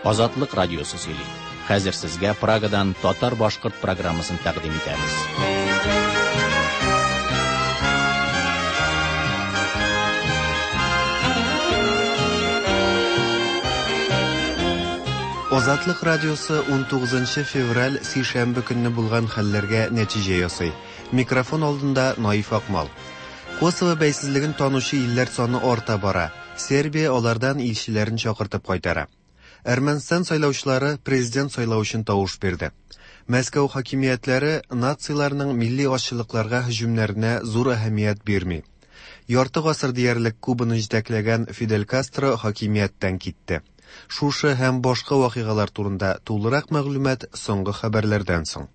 Азатлык радиосы сөйли. Хәзер сезгә Прагадан татар-башкорт программасын тәкъдим итәбез. Азатлык радиосы 19 февраль сишәмбе көнне булган хәлләргә нәтиҗә ясый. Микрофон алдында Наиф Акмал. Косово бәйсезлеген танучы илләр саны арта бара. Сербия алардан илчеләрен чакыртып кайтара. Әрмәнстан сайлаучылары президент сайлау өчен тавыш бирде. Мәскәү хакимиятләре нациларның милли азчылыкларга һөҗүмнәренә зур әһәмият бирми. Ярты гасыр диярлек Кубаны җитәкләгән Фидель Кастро хакимияттән китте. Шушы һәм башка вакыйгалар турында тулырак мәгълүмат соңгы хәбәрләрдән соң.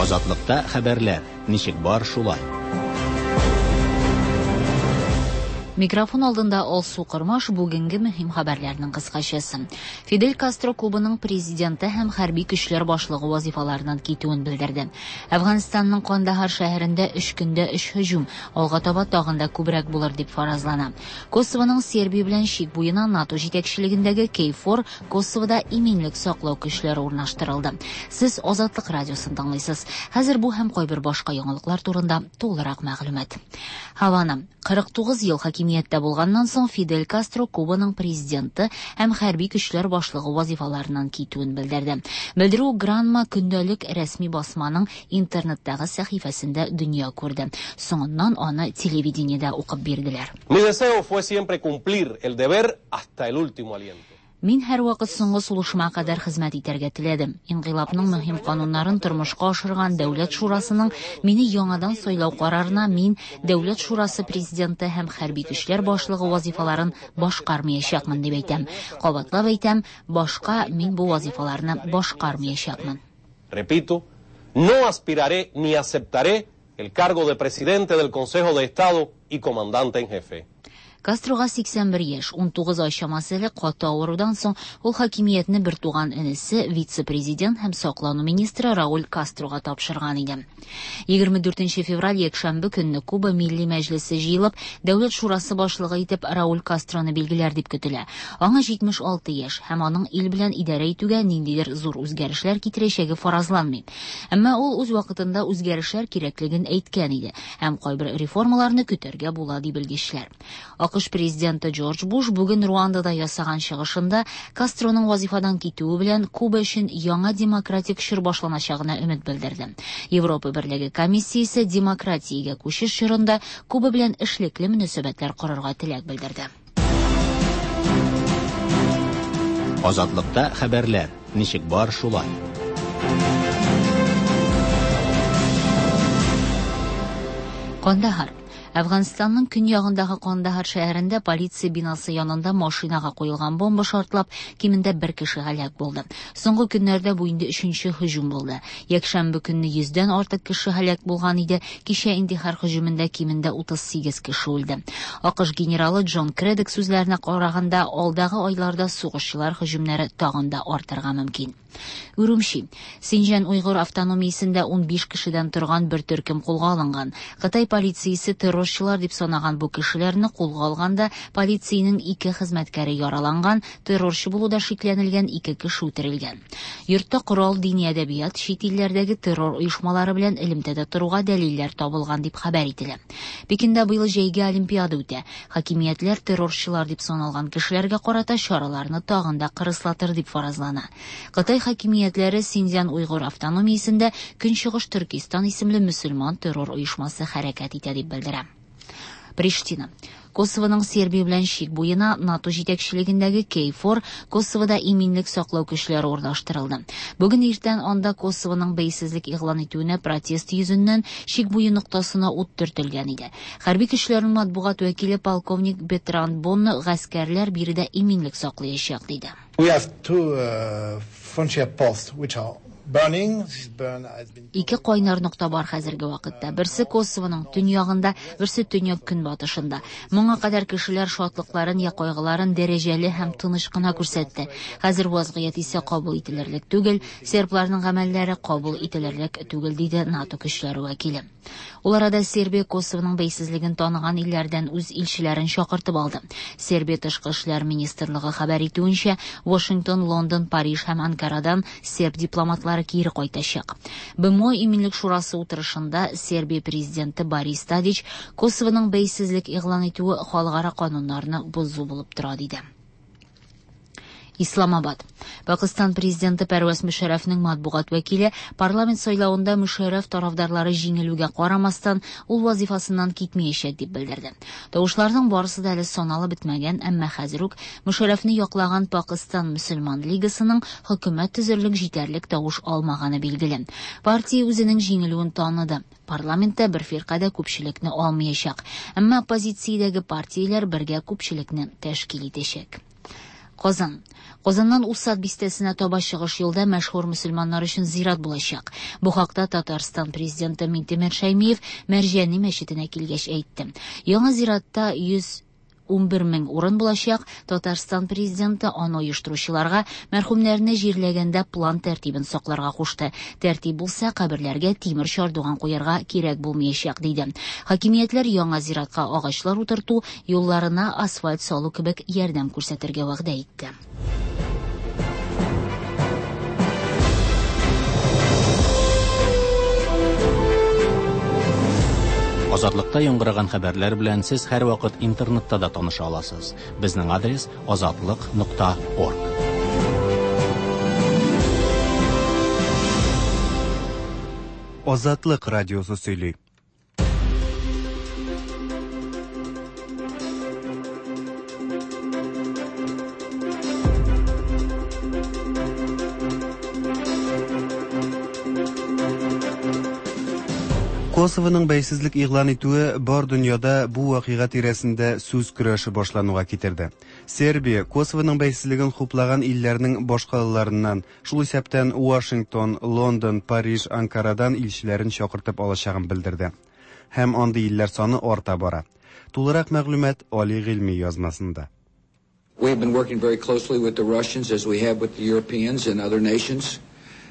Азатлыкта хәбәрләр ничек бар шулай. Микрофон алдында Алсу Кормаш бүгенге мөһим хәбәрләрнең кыскачасы. Фидель Кастро Кубаның президенты һәм хәрби көчләр башлыгы вазифаларыннан китүен белдерде. Әфганстанның Кандahar шәһәрендә өч көндә өч һөҗүм, алга таба тагын да күбрәк булыр дип фаразлана. Косовоның Сербия белән чик буена НАТО җитәкчелегендәге KFOR Косовода иминлек саклау көчләре урнаштырылды. Сез Азатлык радиосын тыңлыйсыз. Хәзер бу һәм кайбер башка яңалыклар турында тулырак мәгълүмат. Һавана 49 ел хакимияттә булганнан соң Фидель Кастро Кубаның президенты һәм хәрби көчләр башлыгы вазифаларыннан китүен белдерде. Белдерү Гранма көндәлек рәсми басманың интернеттагы сәхифәсендә дөнья күрде. Соңыннан аны телевидениедә укып бирделәр. Mi deseo fue siempre cumplir el deber hasta el último aliento. Мин һәрвакыт соңгы сулышыма кадәр хезмәт итәргә теләдем. Инкыйлабның мөһим кануннарын тормышка ашырган Дәүләт шурасының мине яңадан сайлау карарына мин Дәүләт шурасы президенты һәм хәрби көчләр башлыгы вазифаларын башкармаячакмын дип әйтәм. Кабатлап әйтәм, башка мин бу вазифаларны башкармаячакмын. Repito, no aspiraré ni aceptaré el cargo de presidente del Consejo de Estado y comandante en jefe. Кастрога 81 яшь, 19 ай чамасы элек каты авырудан соң ул хакимиятне бертуган энесе, вице-президент һәм саклану министры Рауль Кастрога тапшырган иде. 24 февраль якшәмбе көнне Куба Милли мәҗлесе җыелып, Дәүләт шурасы башлыгы итеп Рауль Кастроны билгеләр дип көтелә. Аңа 76 яшь һәм аның ил белән идарә итүгә ниндидер зур үзгәрешләр китерәчәге фаразланмый. Әмма ул үз вакытында үзгәрешләр кирәклеген әйткән иде һәм кайбер реформаларны көтәргә була ди белгечләр. АКШ президенты Джордж Буш бүген Руандада ясаган чыгышында Кастроның вазифадан китүе белән Куба өчен яңа демократик чор башланачагына өмет белдерде. Европа Берлеге комиссиясе демократиягә күчеш чорында Куба белән эшлекле мөнәсәбәтләр корырга теләк белдерде. Азатлыкта хәбәрләр ничек бар шулай. Кандahar Әфганстанның көньягындагы Кандahar шәһәрендә полиция бинасы янында машинага куелган бомба шартлап, кимендә бер кеше һәлак булды. Соңгы көннәрдә бу инде өченче һөҗүм булды. Якшәмбе көнне 100дән артык кеше һәлак булган иде. Кичә интихар һөҗүмендә кимендә 38 кеше үлде. АКШ генералы Джон Кредек сүзләренә караганда, алдагы айларда сугышчылар һөҗүмнәре тагын да артырга мөмкин. Урумчи. Синҗан Уйгыр автономиясендә 15 кешедән торган бер төркем кулга алынган. Кытай полициясе террорчылар дип санаган бу кешеләрне кулга алганда полициянең ике хезмәткәре яраланган, террорчы булуда шикләнелгән ике кеше үтерелгән. Йортта корал, дини әдәбият, чит илләрдәге террор оешмалары белән элемтәдә торуга дәлилләр табылган дип хәбәр ителә. Пекинда быел җәйге олимпиада үтә. Хакимиятләр террорчылар дип саналган кешеләргә карата чараларны тагын да кырыслатыр дип фаразлана. Кытай хакимиятләре Синьцзян Уйгыр автономиясендә Көнчыгыш Төркистан исемле мөселман террор оешмасы хәрәкәт итә дип белдерә. Приштина. Косовоның Сербия белән чик буена НАТО җитәкчелегендәге KFOR Косовода иминлек саклау көчләре урнаштырылды. Бүген иртән анда Косовоның бәйсезлек игълан итүенә протест йөзеннән чик буе ноктасына ут төртелгән иде. Хәрби көчләрнең матбугат вәкиле полковник Бетран Бонно гаскәрләр биредә иминлек саклаячак диде. We have two frontier posts which are Ике кайнар нокта бар хәзерге вакытта. Берсе Косовоның төньягында, берсе төньяк-көнбатышында. Моңа кадәр кешеләр шатлыкларын я кайгыларын дәрәҗәле һәм тыныч кына күрсәтте. Хәзер вазгыять исә кабул ителерлек түгел, сербларның гамәлләре кабул ителерлек түгел, диде НАТО көчләре вәкиле. Ул арада Сербия Косовоның бәйсезлеген таныган илләрдән үз илчеләрен чакыртып алды. Сербия тышкы эшләр министрлыгы хәбәр итүенчә, Вашингтон, Лондон, Париж һәм Анкарадан серб дипломатлары кире кайтачак. БМО Иминлек шурасы утырышында Сербия президенты Борис Тадич Косовоның бәйсезлек игълан итүе халыкара кануннарны бозу булып тора, диде. Исламабад. Пакыстан президенты Пәрвәз Мөшәрәфнең матбугат вәкиле парламент сайлавында Мөшәрәф тарафдарлары җиңелүгә карамастан, ул вазифасыннан китмәячәк дип белдерде. Тавышларның барысы да әле саналып бетмәгән, әмма хәзер үк Мөшәрәфне яклаган Пакыстан мөселман лигасының хөкүмәт төзерлек җитәрлек тавыш алмаганы билгеле. Партия үзенең җиңелүен таныды. Парламентта бер фирка да күпчелекне алмаячак. Әмма оппозициядәге партияләр бергә күпчелекне тәшкил итәчәк. Казан. Казаннан Усад бистәсенә таба чыгыш юлда мәшһүр мөселманнар өчен зират булачак. Бу хакта Татарстан президенты Минтимер Шәймиев Мәрҗани мәчетенә килгәч әйтте. Яңа зиратта 111 мең урын булачак. Татарстан президенты аны оештыручыларга мәрхүмнәрне җирләгәндә план тәртибен сакларга кушты. Тәртип булса, каберләргә тимер чардуган куярга кирәк булмаячак, диде. Хакимиятләр яңа зиратка агачлар утырту, юлларына асфальт салу кебек ярдәм күрсәтергә вәгъдә итте. Азатлыкта яңгыраган хәбәрләр белән сез һәрвакыт интернетта да таныша аласыз. Безнең адрес azatliq.org. Азатлык радиосы сөйли. Косовоның бәйсезлек игълан итүе бар дөньяда бу вакыйга тирәсендә сүз көрәше башлануга китерде. Сербия Косовоның бәйсезлеген хуплаган илләрнең башкалаларыннан, шул исәптән Вашингтон, Лондон, Париж, Анкарадан илчеләрен чакыртып алачагын белдерде. Һәм андый илләр саны арта бара. Тулырак мәгълүмат Али Гыйльми язмасында. We have been working very closely with the Russians as we have with the Europeans and other nations.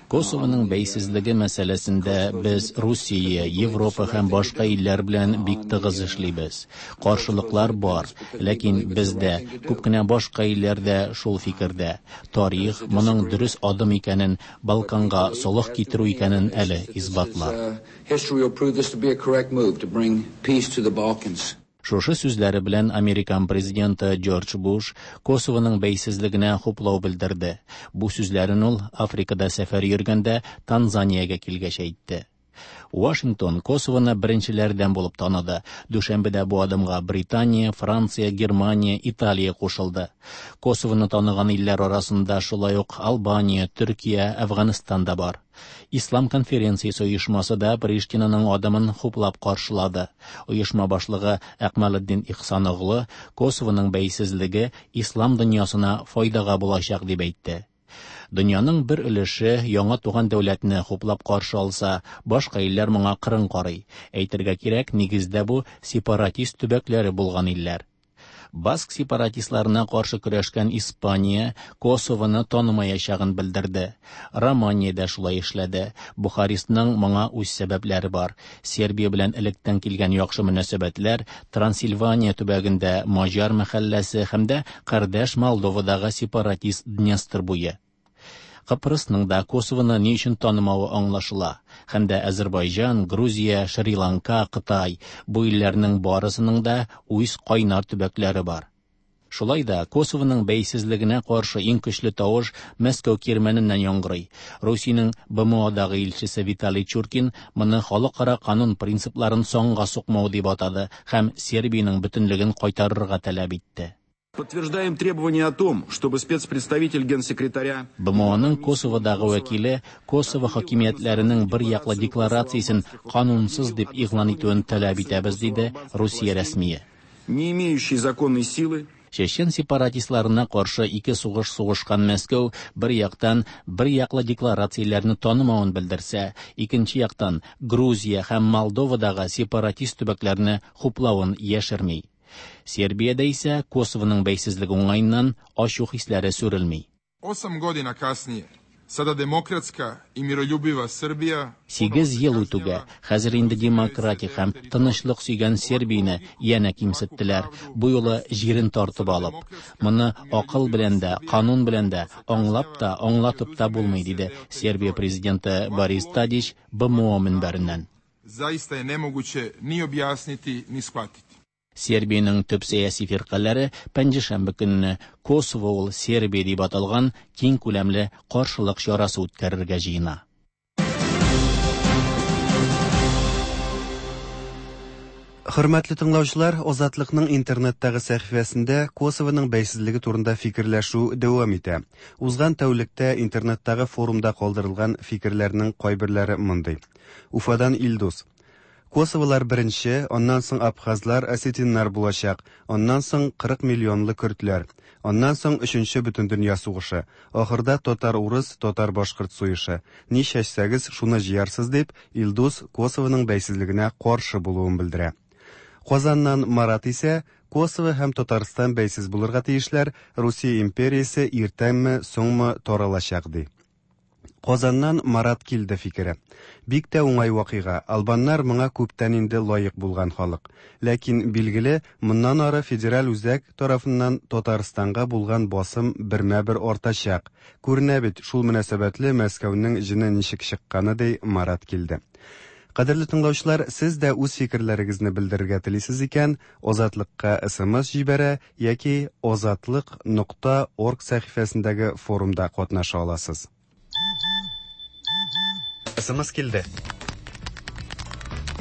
Косовоның бәйсезлеге мәсьәләсендә без Русия, Европа һәм башка илләр белән бик тыгыз эшлибез. Каршылыклар бар, ләкин бездә күп кенә башка илләр дә шул фикердә. Тарих моның дөрес адым икәнен, Балканга солых китерү икәнен әле исбатлар. History will prove this to be a correct move to bring peace to the Balkans. Шушы сүзләре белән Американ президенты Джордж Буш Косовоның бәйсезлегенә хуплау белдерде. Бу сүзләрен ул Африкада сәфәр йөргәндә Танзаниягә килгәч әйтте. Вашингтон Косовоны беренчеләрдән булып таныды. Дүшәмбедә бу адымга Британия, Франция, Германия, Италия кушылды. Косовоны таныган илләр арасында шулай ук Албания, Төркия, Әфганстан да бар. Ислам конференциясе оешмасы да Приштинаның адымын хуплап каршылады. Оешма башлыгы Әкмәлетдин Ихсаноглы Косовоның бәйсезлеге ислам дөньясына файдага булачак дип әйтте. Дөньяның бер өлеше яңа туган дәүләтне хуплап каршы алса, башка илләр моңа кырын карый. Әйтергә кирәк, нигездә бу сепаратист төбәкләре булган илләр. Баск сепаратистларына каршы көрәшкән Испания Косовоны танымаячагын белдерде. Романия дә шулай эшләде. Бухарестның моңа үз сәбәпләре бар. Сербия белән электән килгән яхшы мөнәсәбәтләр Трансильвания төбәгендә Маҗар мәхәлләсе һәм дә кардәш Молдовадагы сепаратист Днестр буе. Кыпрысның да Косовоны ни өчен танымавы аңлашыла. Һәм дә Азербайҗан, Грузия, Шри-Ланка, Кытай бу илләрнең барысының да үз кайнар төбәкләре бар. Шулай да Косовоның бәйсезлегенә каршы иң көчле тавыш Мәскәү кирмәненнән яңгырый. Русиянең БМОдагы илчесе Виталий Чуркин моны халыкара канун принципларын санга сукмау дип атады һәм Сербиянең бөтенлеген кайтарырга таләп итте. Подтверждаем требование о том, чтобы спецпредставитель генсекретаря БМОның Косоводагы вәкиле Косово хакимиятләренең бер яклы декларациясен канунсыз дип игълан итүен таләп итәбез, диде Русия рәсмие. Не имеющий законной силы. Чечен сепаратистларына каршы ике сугыш сугышкан Мәскәү бер яктан бер яклы декларацияләрне танымавын белдерсә, икенче яктан Грузия һәм Молдовадагы сепаратист төбәкләрне хуплавын яшерми. Сербиядә исә Косовоның бәйсезлеге уңаеннан ачу хисләре сүрелми. 8 godina kasnije, sada demokratska и miroljubiva Srbija... Сигез ел үтүгә, хәзер инде демократик һәм тынычлык сөйгән Сербияне янә кимсеттеләр, бу юлы җирен тартып алып. Моны акыл белән дә, канун белән дә, аңлап та, аңлатып та булмый, диде Сербия президенты Борис Тадич БМО мөнбәреннән. Zaista je nemoguće ni objasniti, ni shvatiti. Сербиянең төп сәяси фиркаләре пәнҗешәмбе көнне Косово ул Сербия дип аталган киң күләмле каршылык чарасы үткәрергә җыена. Хөрмәтле тыңлаучылар, Азатлыкның интернеттагы сәхифәсендә Косовоның бәйсезлеге турында фикерләшү дәвам итә. Узган тәүлектә интернеттагы форумда калдырылган фикерләрнең кайберләре мондый. Уфадан Илдус. Косоволар беренче, аннан соң абхазлар, осетиннар булачак, аннан соң 40 миллионлы көрдләр, аннан соң өченче бөтендөнья сугышы, ахырда татар-урыс, татар-башкорт сугышы. Ни чәчсәгез, шуны җыярсыз дип, Илдус Косовоның бәйсезлегенә каршы булуын белдерә. Казаннан Марат исә Косово һәм Татарстан бәйсез булырга тиешләр, Русия империясе иртәнме, соңмы таралачак ди. Казаннан Марат килде фикере. Бик тә уңай вакыйга. Албаннар моңа күптән инде лаек булган халык. Ләкин билгеле, моннан ары федераль үзәк тарафыннан Татарстанга булган басым бермә-бер артачак. Күренә бит, шул мөнәсәбәтле Мәскәүнең җене ничек чыкканы, ди Марат килде. Кадерле тыңлаучылар, сез дә үз фикерләрегезне белдерергә телисез икән, Азатлыкка SMS җибәрә яки azatliq.org сәхифәсендәге форумда катнаша аласыз. SMS килде.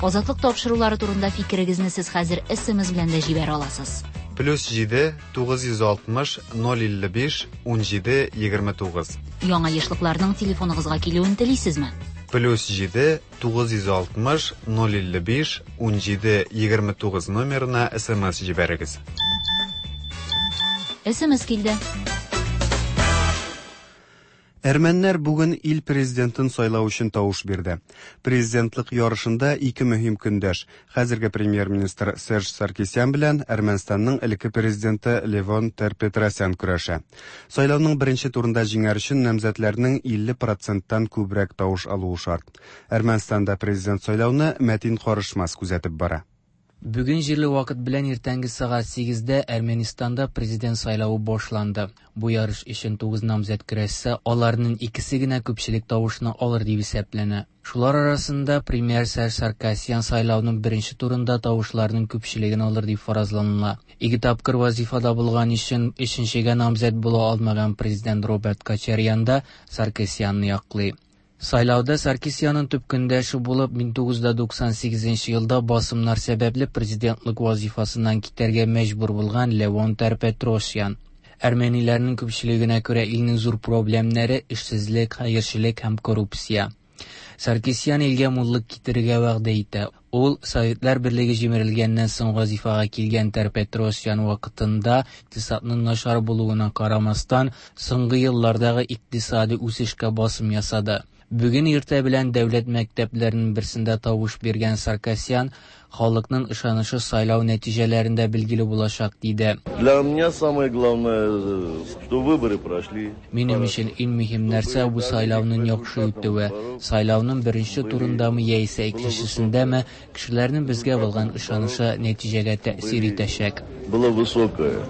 Азатлык тапшырулары турында фикерегезне сез хәзер SMS белән дә җибәрә аласыз. +7 960 055 17 29. Яңа ешлыкларның телефоныгызга килүен телисезме? +7 960 055 17 29 номерына SMS җибәрегез. SMS килде. Әрмәннәр бүген ил президентын сайлау өчен тавыш бирде. Президентлык ярышында ике мөһим көндәш: хәзерге премьер-министр Серж Саркисян белән Әрмәнстанның элекке президенты Левон Тер-Петросян көрәшә. Сайлауның беренче турында җиңәр өчен намзәтләрнең 50%-тан күбрәк тавыш алуы шарт. Әрмәнстанда президент сайлауны Мәтин Карышмас күзәтеп бара. Бүген җирле вакыт белән иртәнге сәгать 8-дә Әрмәнстанда президент сайлавы башланды. Бу ярыш өчен 9 намзәт көрәшсә, аларның икесе генә күпчелек тавышны алыр дип исәпләнә. Шулар арасында премьер Серж Саркисян сайлауның беренче турында тавышларның күпчелеген алыр дип фаразланыла. Ике тапкыр вазифада булган өчен өченчегә намзәт була алмаган президент Роберт Кочарян да Саркисянны яклый. Сайлауда Саркисянның төп көндәше булып 1998 елда басымнар сәбәпле президентлык вазифасыннан китәргә мәҗбүр булган Левон Тер-Петросян. Әрмәниләрнең күпчелегенә күрә илнең зур проблемнәре эшсезлек, хәерчелек һәм коррупция. Саркисян илгә муллык китерергә вәгъдә итә. Ул Советлар Берлеге җимерелгәннән соң вазифага килгән Тер-Петросян вакытында икътисадның начар булуына карамастан, соңгы еллардагы икътисади үсешкә басым ясады. Бүген иртә белән дәүләт мәктәпләренең берсендә тавыш биргән Саркисян халыкның ышанышы сайлау нәтиҗәләрендә билгеле булачак диде. Для меня самое главное, что выборы прошли. Минем өчен иң мөһим нәрсә бу сайлауның яхшы үтүе. Сайлауның беренче турындамы яисә икенчесендәме, кешеләрнең безгә булган ышанышы нәтиҗәгә тәэсир итәчәк. Было высокое.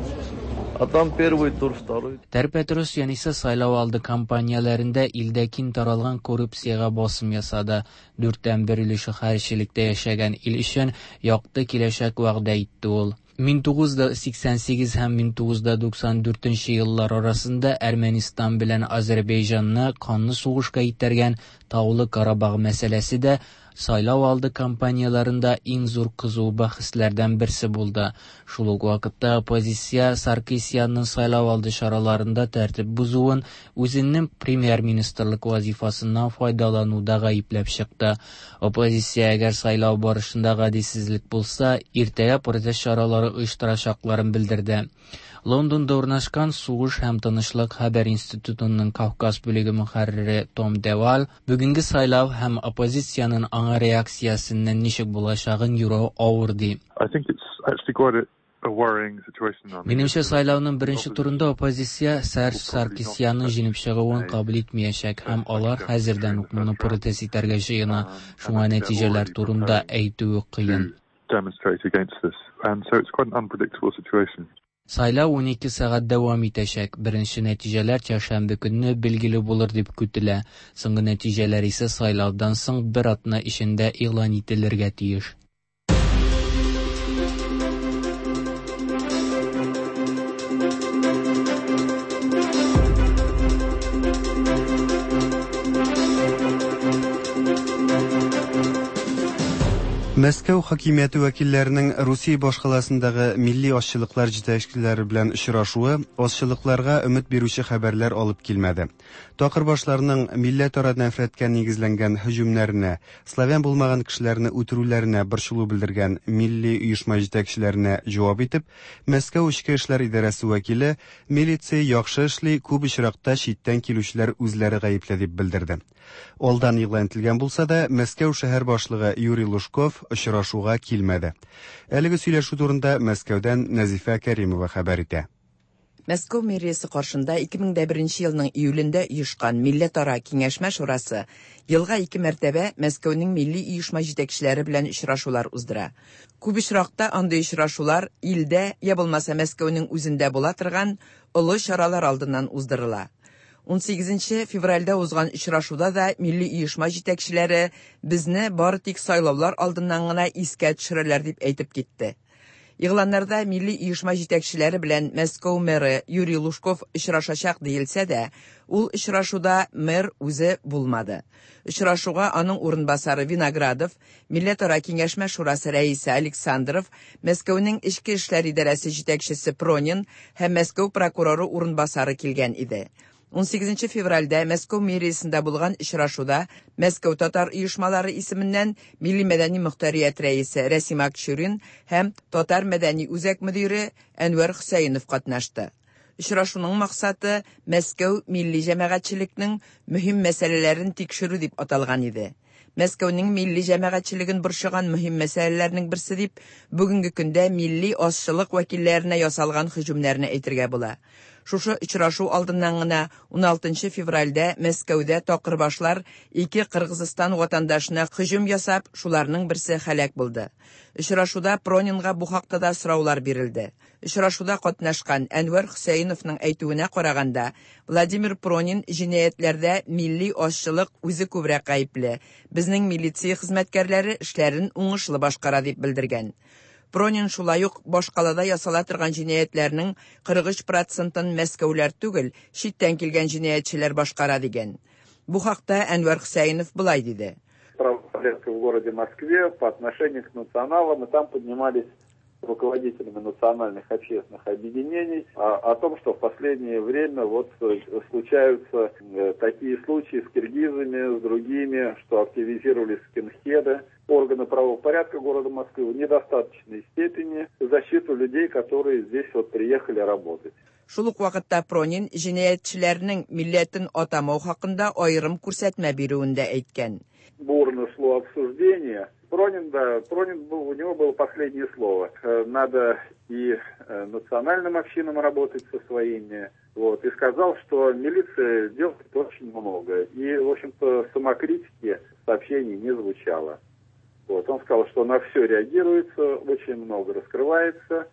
А там первый тур, второй. Тер-Петросян исә сайлау алды кампанияләрендә илдә киң таралган коррупциягә басым ясады. 1/4 өлеше хәерчелектә яшәгән ил өчен якты киләчәк вәгъдә итте ул. 1988 һәм 1994 еллар арасында Әрмәнстан белән Азербайҗанны канлы сугышка итәргән Таулы Карабах мәсьәләсе дә сайлау алды кампанияләрендә иң зур кызу бәхәсләрдән берсе булды. Шул ук вакытта оппозиция Саркисянның сайлау алды чараларында тәртип бозуын үзенең премьер-министрлык вазифасыннан файдалануда гаепләп чыкты. Оппозиция әгәр сайлау барышында гаделсезлек булса, иртәгә протест чаралары оештырачакларын белдерде. Лондонда урнашкан Сугыш һәм тынычлык хәбәр институтының Кавказ бүлеге мөхәррире Том Девал бүгенге сайлау һәм оппозициянең аңа реакциясеннән ничек булачагын юрау авыр ди. Минемчә, сайлауның беренче турында оппозиция Серж Саркисянның җиңеп чыгуын кабул итмәячәк һәм алар хәзердән үк моны протест итәргә җыена, шуңа нәтиҗәләр турында әйтүе кыен. Сайлау 12 сәгать дәвам итәчәк. Беренче нәтиҗәләр чәршәмбе көнне билгеле булыр дип көтелә. Соңгы нәтиҗәләр исә сайлаудан соң бер атна эчендә игълан ителергә тиеш. Мәскәү хакимияте вәкилләренең Русия башкаласындагы милли азчылыклар җитәкчеләре белән очрашуы азчылыкларга өмет бирүче хәбәрләр алып килмәде. Такырбашларның милләтара нәфрәткә нигезләнгән һөҗүмнәренә, славян булмаган кешеләрне үтерүләренә борчылу белдергән милли оешма җитәкчеләренә җавап итеп, Мәскәү эчке эшләр идарәсе вәкиле милиция яхшы эшли, күп очракта читтән килүчеләр үзләре гаепле дип белдерде. Алдан игълан ителгән булса да, Мәскәү шәһәр башлыгы Юрий Лужков очрашуга килмәде. Әлеге сөйләшү турында Мәскәүдән Нәзифә Кәримова хәбәр итә. Мәскәү мэриясе каршында 2001 елның июлендә оешкан Милләтара киңәшмә шурасы елга ике мәртәбә Мәскәүнең милли оешма җитәкчеләре белән очрашулар уздыра. Күп очракта андый очрашулар илдә, я булмаса Мәскәүнең үзендә була торган олы чаралар алдыннан уздырыла. 18 февральдә узган очрашуда да милли оешма җитәкчеләре безне бары тик сайлаулар алдыннан гына искә төшерәләр дип әйтеп китте. Игъланнарда милли оешма җитәкчеләре белән Мәскәү мэры Юрий Лужков очрашачак диелсә дә, ул очрашуда мэр үзе булмады. Очрашуга аның урынбасары Виноградов, Милләтара киңәшмә шурасы рәисе Александров, Мәскәүнең эчке эшләр идарәсе җитәкчесе Пронин һәм Мәскәү прокуроры урынбасары килгән иде. 18 февральдә Мәскәү мэриясендә булган очрашуда Мәскәү татар оешмалары исеменнән Милли мәдәни мохтарият рәисе Рәсим Акчурин һәм Татар мәдәни үзәк мөдире Әнвәр Хөсәенов катнашты. Очрашуның максаты Мәскәү милли җәмәгатьчелекнең мөһим мәсьәләләрен тикшерү дип аталган иде. Мәскәүнең милли җәмәгатьчелеген борчыган мөһим мәсьәләләрнең берсе дип бүгенге көндә милли азчылык вәкилләренә ясалган һөҗүмнәрне әйтергә була. Шушы очрашу алдыннан гына 16 февральдә Мәскәүдә такырбашлар ике Кыргызстан ватандашына һөҗүм ясап, шуларның берсе һәлак булды. Очрашуда Пронинга бу хакта да сораулар бирелде. Очрашуда катнашкан Әнвәр Хөсәеновның әйтүенә караганда, Владимир Пронин җинаятьләрдә милли азчылык үзе күбрәк гаепле, безнең милиция хезмәткәрләре эшләрен уңышлы башкара дип белдергән. Пронин шулай ук башкалада ясала торган җинаятьләрнең 43 процентын мәскәүләр түгел, читтән килгән җинаятьчеләр башкара дигән. Бу хакта Әнвәр Хөсәенов болай диде. Правопорядка в городе Москве по отношению к националам, и там поднимались руководителями национальных общественных объединений о том, что в последнее время вот случаются такие случаи с киргизами, с другими, что активизировались скинхеды. Органы правопорядка города Москвы в недостаточной степени защиту людей, которые здесь вот приехали работать. Шул ук вакытта Пронин җинаятьчеләрнең милләтен атамау хакында аерым күрсәтмә бирүен дә әйткән. Бурно шло обсуждение. Пронин, да, Пронин был, у него было последнее слово. Надо и национальным общинам работать со своими. Вот, и сказал, что милиция делает очень много. И, в общем-то, самокритики сообщений не звучало. Вот, он сказал, что на все реагируется, очень много раскрывается.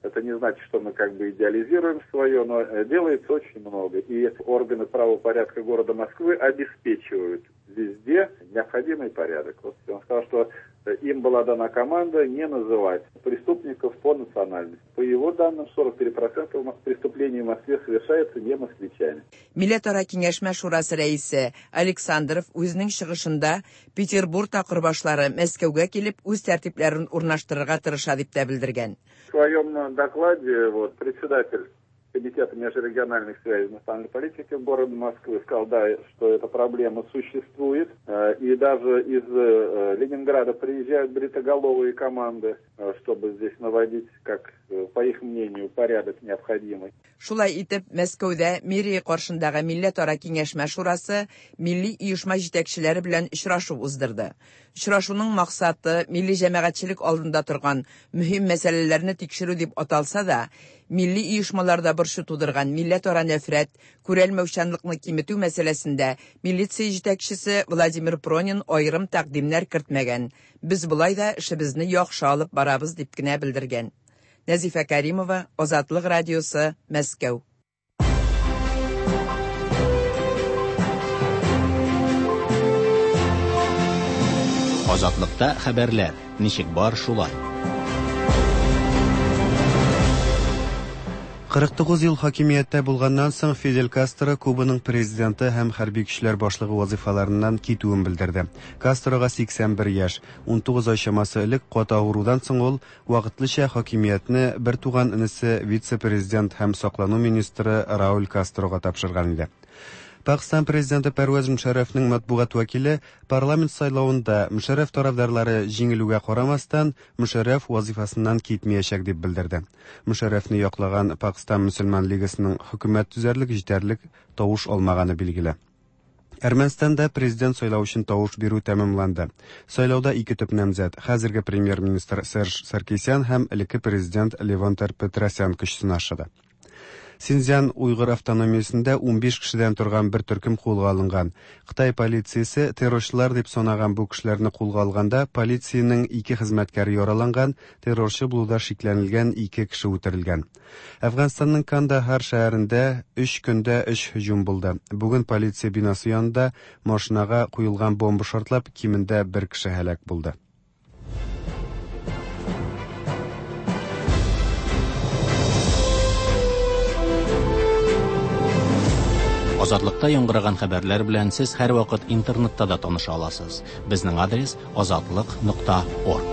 Это не значит, что мы как бы идеализируем свое, но делается очень много. И органы правопорядка города Москвы обеспечивают везде необходимый порядок. Вот он сказал, что им была дана команда не называть преступников по национальности. По его данным, 43% преступлений в Москве совершаются не москвичами. Милләтара киңәшмә шурасы рәисе Александров үзенең чыгышында Петербург такырбашлары Мәскәүгә килеп үз тәртипләрен урнаштырырга тырыша дип тә белдергән. В своем докладе вот, председатель Комитета межрегиональных связей национальной политики города Москвы, сказал, да, что эта проблема существует. И даже из Ленинграда приезжают бритоголовые команды, чтобы здесь наводить, как, по их мнению, порядок необходимый. Шулай итеп, Мәскәүдә мэрия каршындагы милләтара киңәшмә шурасы милли оешма җитәкчеләре белән очрашу уздырды. Очрашуның максаты милли җәмәгатьчелек алдында торган мөһим мәсьәләләрне тикшерү дип аталса да, милли оешмаларда борчу тудырган милләтара нәфрәт, күрәлмәүчәнлекне киметү мәсьәләсендә милиция җитәкчесе Владимир Пронин аерым тәкъдимнәр кертмәгән. Без болай да эшебезне яхшы алып барабыз дип кенә белдергән. Нәзифә Кәримова, Азатлык радиосы, Мәскәү. Азатлыкта хәбәрләр ничек бар шулай. 49 ел хакимияттә булганнан соң Фидель Кастро Кубаның президенты һәм хәрби көчләр башлыгы вазифаларыннан китүен белдерде. Кастрога 81 яшь, 19 ай чамасы элек каты авырудан соң ул вакытлыча хакимиятне бер туган энесе вице-президент һәм саклану министры Рауль Кастрога тапшырган иде. Пакстан президенты Пәрвәз Мөшәррәфнең матбугат вәкиле парламент сайлавында Мөшәррәф тарафдарлары җиңелүгә карамастан, Мөшәррәф вазифасыннан китмәячәк дип белдерде. Мөшәррәфне яклаган Пакстан мөселман лигасының хөкүмәт төзәрлек җитәрлек тавыш алмаганы билгеле. Әрмәнстанда президент сайлау өчен тавыш бирү тәмамланды. Сайлауда ике төп намзәт хәзерге премьер-министр Серж Саркисян һәм элекке президент Левон Тер-Петросян көч сынашыды. Синьцзян уйгыр автономиясендә 15 кешедән торган бер төркем кулга алынган. Кытай полициясе террорчылар дип санаган бу кешеләрне кулга алганда полициянең ике хезмәткәре яраланган, террорчы булуда шикләнелгән ике кеше үтерелгән. Әфганстанның Кандахар шәһәрендә 3 көндә 3 һөҗүм булды. Бүген полиция бинасы янында машинага куелган бомба шартлап, кимендә бер кеше һәлак булды. Азатлыкта яңгыраган хәбәрләр белән сез һәрвакыт интернетта да таныша аласыз. Безнең адрес azatliq.org.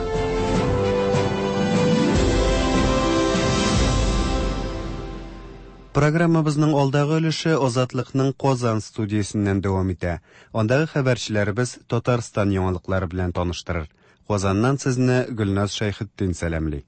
Программабызның алдагы өлеше Азатлыкның Казан студиясеннән дәвам итә. Андагы хәбәрчеләребез Татарстан яңалыклары белән таныштырыр. Казаннан сезне Гөлназ Шәйхетдин сәламли.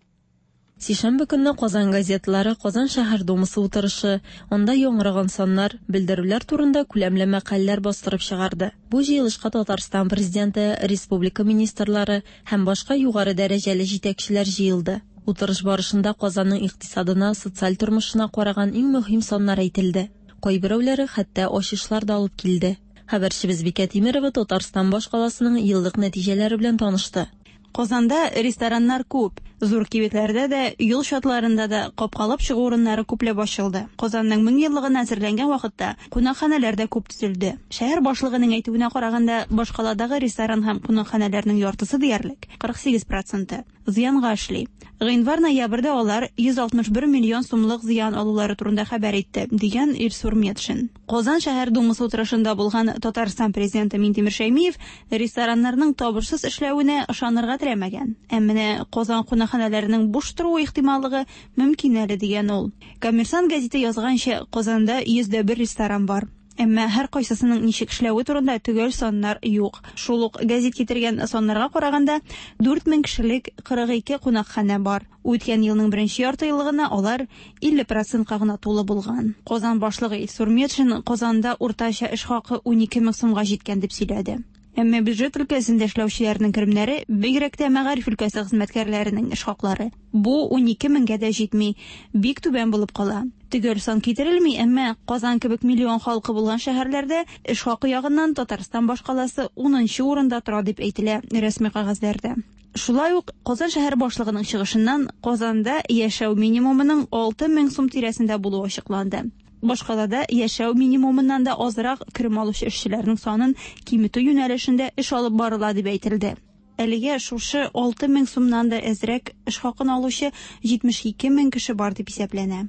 Сишәмбе көнне Казан газеталары Казан шәһәр думасы утырышы, анда яңгыраган саннар, белдерүләр турында күләмле мәкаләләр бастырып чыгарды. Бу җыелышка Татарстан президенты, республика министрлары һәм башка югары дәрәҗәле җитәкчеләр җыелды. Утырыш барышында Казанның икътисадына, социаль тормышына караган иң мөһим саннар әйтелде. Кайберәүләре хәтта ачышлар да алып килде. Хәбәрчебез Бикә Тимерова Татарстан башкаласының еллык нәтиҗәләре белән танышты. Казанда рестораннар күп. Зур кибетләрдә дә, юл чатларында да капкалап чыгу урыннары күпләп ачылды. Казанның 1000 еллыгына әзерләнгән вакытта кунакханәләр дә күп төзелде. Шәһәр башлыгының әйтүенә караганда, башкаладагы ресторан һәм кунакханәләрнең яртысы диярлек, 48%, зыянга эшли. Гыйнвар-ноябрьдә алар 161 миллион сумлык зыян алулары турында хәбәр итте, дигән Илсур Метшин. Казан шәһәр думасы утырышында булган Татарстан президенты Минтимер Шәймиев рестораннарның табышсыз эшләвенә ышанырга теләмәгән. Ә менә Казан кунакханәләренең буш торуы ихтималлыгы мөмкин әле, дигән ул. Коммерсант гәзите язганча, Казанда 101 ресторан бар. Әмма һәр кайсысының ничек эшләве турында төгәл саннар юк. Шул ук гәзит китергән саннарга караганда, 4000 кешелек 42 кунакханә бар. Үткән елның беренче ярты еллыгына алар 50%-ка гына тулы булган. Казан башлыгы Илсур Метшин Казанда уртача эш хакы 12 мең сумга җиткән дип сөйләде. Әмма бюджет өлкәсендә эшләүчеләрнең керемнәре, бигрәк тә мәгариф өлкәсе хезмәткәрләренең эш хаклары, бу 12 меңгә дә җитми, бик түбән булып кала. Төгәл сан китерелми, әмма Казан кебек миллион халкы булган шәһәрләрдә эш хакы ягыннан Татарстан башкаласы 10нчы урында тора дип әйтелә рәсми кәгазьләрдә. Шулай ук Казан шәһәр башлыгының чыгышыннан Казанда яшәү минимумының 6000 сум тирәсендә булуы ачыкланды. Башкалада яшәү минимумыннан да азрак керем алучы эшчеләрнең санын киметү юнәлешендә эш алып барыла дип әйтелде. Әлегә шушы 6000 сумнан да әзрәк эш хакын алучы 72 мең кеше бар дип исәпләнә.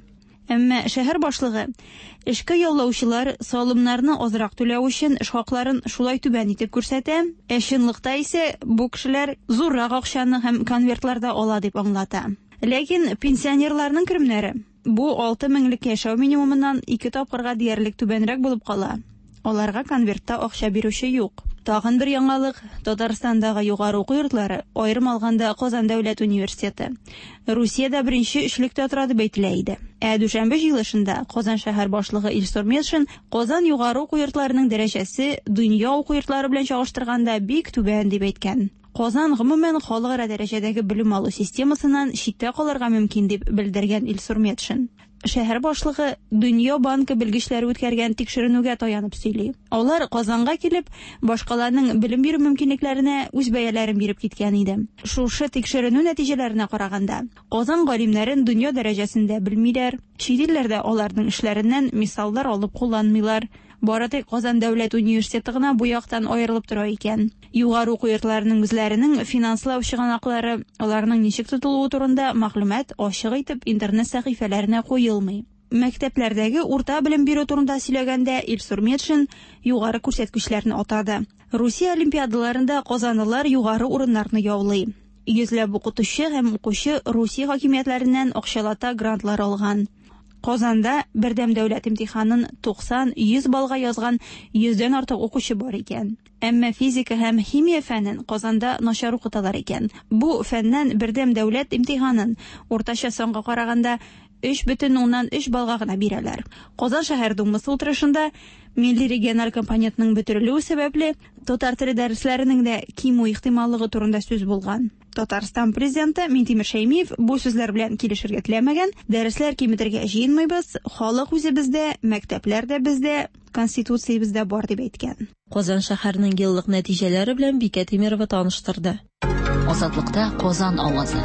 Әмма шәһәр башлыгы эшкә яллаучылар салымнарны азрак түләү өчен эш хакларын шулай түбән итеп күрсәтә, ә чынлыкта исә бу кешеләр зуррак акчаны һәм конвертларда ала дип аңлата. Ләкин пенсионерларның керемнәре Бу 6 меңлек яшәү минимумыннан ике тапкырга диярлек түбәнрәк булып кала. Аларга конвертта акча бирүче юк. Тагын бер яңалык, Татарстандагы югары уку йортлары, аерым алганда Казан дәүләт университеты, Русиядә беренче өчлектә тора дип әйтелә иде. Ә дүшәмбе җыелышында Казан шәһәр башлыгы Илсур Метшин Казан югары уку йортларының дәрәҗәсе дөнья уку йортлары белән чагыштырганда бик түбән дип әйткән. Казан гомумән халыкара дәрәҗәдәге белем алу системасыннан читтә калырга мөмкин дип белдергән Илсур Метшин. Шәһәр башлыгы Дөнья банкы белгечләре үткәргән тикшеренүгә таянып сөйли. Алар Казанга килеп, башкаланың белем бирү мөмкинлекләренә үз бәяләрен биреп киткән иде. Шушы тикшеренү нәтиҗәләренә караганда, Казан галимнәрен дөнья дәрәҗәсендә белмиләр, чит илләрдә аларның эшләреннән мисаллар алып кулланмыйлар. Бары тик Казан дәүләт университеты гына бу яктан аерылып тора икән. Югары уку йортларының үзләренең финанслау чыганаклары, аларның ничек тотылуы турында мәгълүмат ачык итеп интернет сәхифәләренә куелмый. Мәктәпләрдәге урта белем бирү турында сөйләгәндә Илсур Метшин югары күрсәткечләрне атады. Русия олимпиадаларында казанлылар югары урыннарны яулый. Йөзләп укытучы һәм укучы Русия хакимиятләреннән акчалата грантлар алган. Казанда бердәм дәүләт имтиханын 90-100 баллга язган йөздән артык укучы бар икән. Әмма физика һәм химия фәнен Казанда начар укыталар икән. Бу фәннән бердәм дәүләт имтиханын уртача санга караганда 3,3 баллга гына бирәләр. Казан шәһәр думасы утырышында милли региональ компонентның бетерелүе сәбәпле татар теле дәресләренең дә кимү ихтималлыгы турында сүз булган. Татарстан президенты Минтимер Шәймиев бу сүзләр белән килешергә теләмәгән. Дәресләр киметергә җыенмыйбыз, халык үзе бездә, мәктәпләр дә бездә, Конституциябез дә бар дип әйткән. Казан шәһәренең еллык нәтиҗәләре белән Бикә Тимерова таныштырды. Азатлыкта Казан авазы.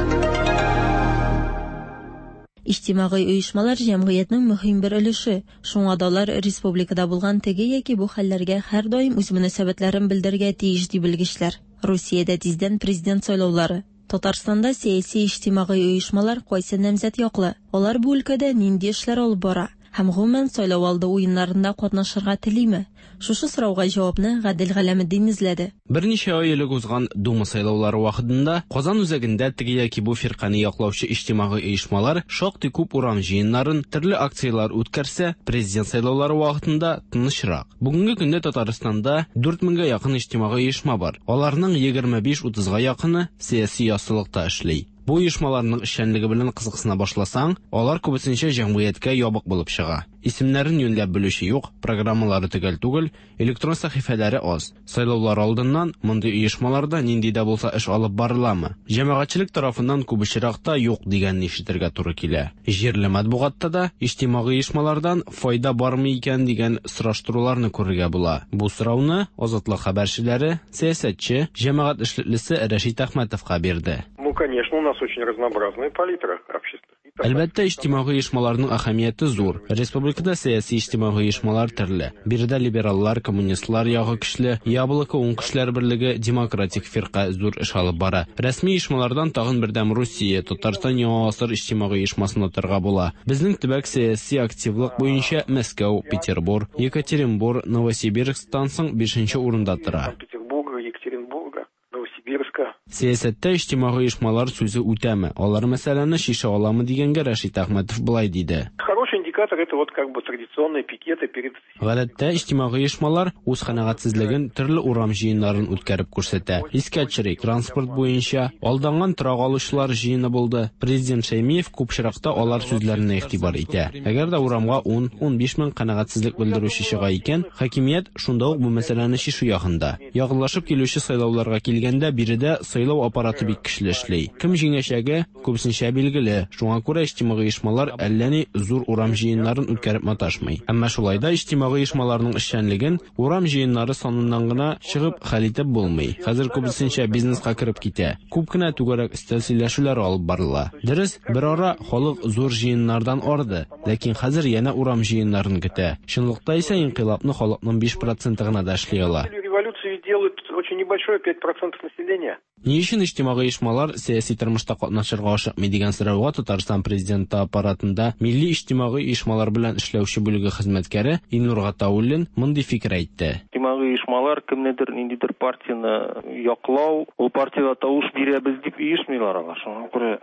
Иҗтимагый оешмалар җәмгыятьнең мөһим бер өлеше. Шуңа да алар республикада булган теге яки бу хәлләргә һәрдаим үз мөнәсәбәтләрен белдерергә тиеш, ди белгечләр. Русиядә тиздән президент сайлаулары. Татарстанда сәяси иҗтимагый оешмалар кайсы намзәт яклы? Алар бу өлкәдә нинди эшләр алып бара? Һәм гомумән сайлау алды уеннарында катнашырга телиме? Шушы сорауга җавапны Гадел Галәметдин эзләде. Берничә ай элек узган Дума сайлаулары вакытында Казан үзәгендә теге яки бу фиркане яклаучы иҗтимагый оешмалар шактый күп урам җыеннарын, төрле акцияләр үткәрсә, президент сайлаулары вакытында тынычрак. Бүгенге көндә Татарстанда 4 меңгә якын иҗтимагый оешма бар. Аларның 25-30га якыны сәяси яссылыкта эшли. Бу оешмаларның эшчәнлеге белән кызыксына башласаң, алар күбесенчә җәмгыятькә ябык булып чыга. Исемнәрен юньләп белүче юк, программалары төгәл түгел, электрон сәхифәләре аз. Сайлаулар алдыннан мондый оешмаларда нинди дә булса эш алып барыламы? Җәмәгатьчелек тарафыннан күп очракта юк дигәнне ишетергә туры килә. Җирле матбугатта да иҗтимагый оешмалардан файда бармы икән дигән сораштыруларны күрергә була. Бу сорауны Азатлык хәбәрчеләре сәясәтче, җәмәгать эшлеклесе Рәшит Әхмәтовка бирде. Ну, конечно, у нас очень разнообразная палитра общественных. Әлбәттә, иҗтимагый оешмаларның әһәмияте зур. Республикада сәяси иҗтимагый оешмалар төрле. Биредә либераллар, коммунистлар ягы көчле, Яблоко, Уң көчләр берлеге, Демократик фирка зур эш алып бара. Рәсми оешмалардан тагын Бердәм Русия, Татарстан Яңа гасыр иҗтимагый оешмасын атарга була. Безнең төбәк сәяси активлык буенча Мәскәү, Петербур, Екатеринбур, Новосибирсктан соң бишенче урында тора. Петербурга, Екатеринбурга, Новосибирска. Сәясәттә иҗтимагый оешмалар сүзе үтәме, алар мәсьәләне чишә аламы дигәнгә Рәшит Әхмәтов болай диде. Хороший индикатор это вот как бы традиционные пикеты перед Гадәттә, иҗтимагый оешмалар үз канәгатьсезлеген төрле урам җыеннарын үткәреп күрсәтә. Искә төшерик, транспорт буенча алданган торак алучылар җыены булды. Президент Шәймиев күп очракта алар сүзләренә игътибар итә. Әгәр дә урамга 10-15 мең канәгатьсезлек белдерүче чыга икән, хакимият шунда ук бу мәсьәләне чишү ягында. Якынлашып килүче сайлауларга килгәндә, биредә сайлау аппараты бик көчле эшли. Кем җиңәчәге күбесенчә билгеле, шуңа күрә иҗтимагый оешмалар әллә ни зур урам җыеннарын үткәреп маташмый. Әмма шулай да иҗтимагый оешмаларның эшчәнлеген урам җыеннары саныннан гына чыгып хәл итеп булмый. Хәзер күбесенчә бизнеска кереп китә. Күп кенә түгәрәк өстәл сөйләшүләре алып барыла. Дөрес, берара халык зур җыеннардан арды, ләкин хәзер янә урам җыеннарын көтә. Чынлыкта исә инкыйлабны халыкның 5 проценты гына да эшли ала. Революцию делают очень небольшое 5% населения. Ни өчен иҗтимагый оешмалар сәяси тормышта катнашырга ашыкмый дигән сорауга Татарстан президенты аппаратында милли иҗтимагый оешмалар белән эшләүче бүлеге хезмәткәре Илнур Гатауллин мондый фикер әйтте. Иҗтимагый оешмалар кемнедер, ниндидер партияне яклау, ул партиягә тавыш бирәбез дип оешмыйлар алар. Шуңа күрә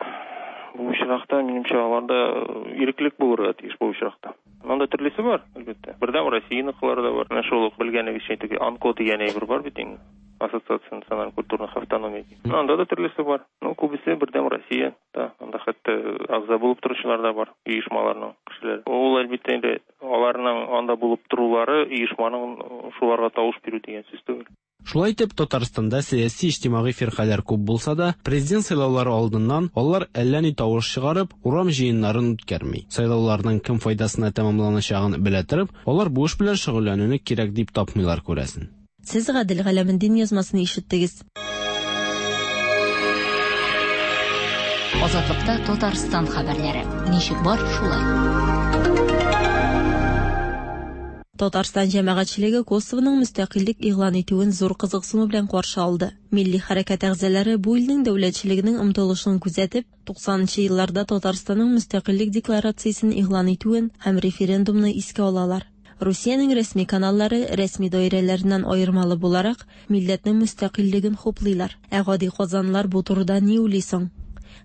Бу очракта, минемчә, аларда иреклек булырга тиеш бу очракта. Монда төрлесе бар, әлбәттә. Бердәм Россияныкылар да бар. Менә шул ук белгәнегезчә теге АНКО дигән әйбер бар бит инде. Ассоциация национальных культурных автономий. Анда да төрлесе бар. Ну, күбесе Бердәм Россия да. Анда хәтта әгъза булып торучылар да бар, оешмаларның кешеләре. Ул әлбәттә инде аларның анда булып торулары оешманың шуларга тавыш бирү дигән сүз түгел. Шулай итеп, Татарстанда сәяси-иҗтимагый фиркаләр күп булса да, президент сайлаулары алдыннан алар әллә ни тавыш чыгарып, урам җыеннарын үткәрми. Сайлауларның кем файдасына тәмамланачагын белә торып, алар бу эш белән шөгыльләнүне кирәк дип тапмыйлар, күрәсен. Сез Гадел Галәметдин язмасын ишеттегез. Азатлыкта Татарстан хәбәрләре. Ничек бар, шулай. Татарстан җәмәгатьчелеге Косовоның мөстәкыйльлек игълан итүен зур кызыксыну белән каршы алды. Милли хәрәкәт әгъзалары бу илнең дәүләтчелегенең омтылышын күзәтеп, 90 нчы елларда Татарстанның мөстәкыйльлек декларациясен игълан итүен һәм референдумны искә алалар. Русиянең рәсми каналлары, рәсми даирәләреннән аермалы буларак, милләтнең мөстәкыйльлеген хуплыйлар. Ә гади казанлылар бу турыда ни уйлый соң?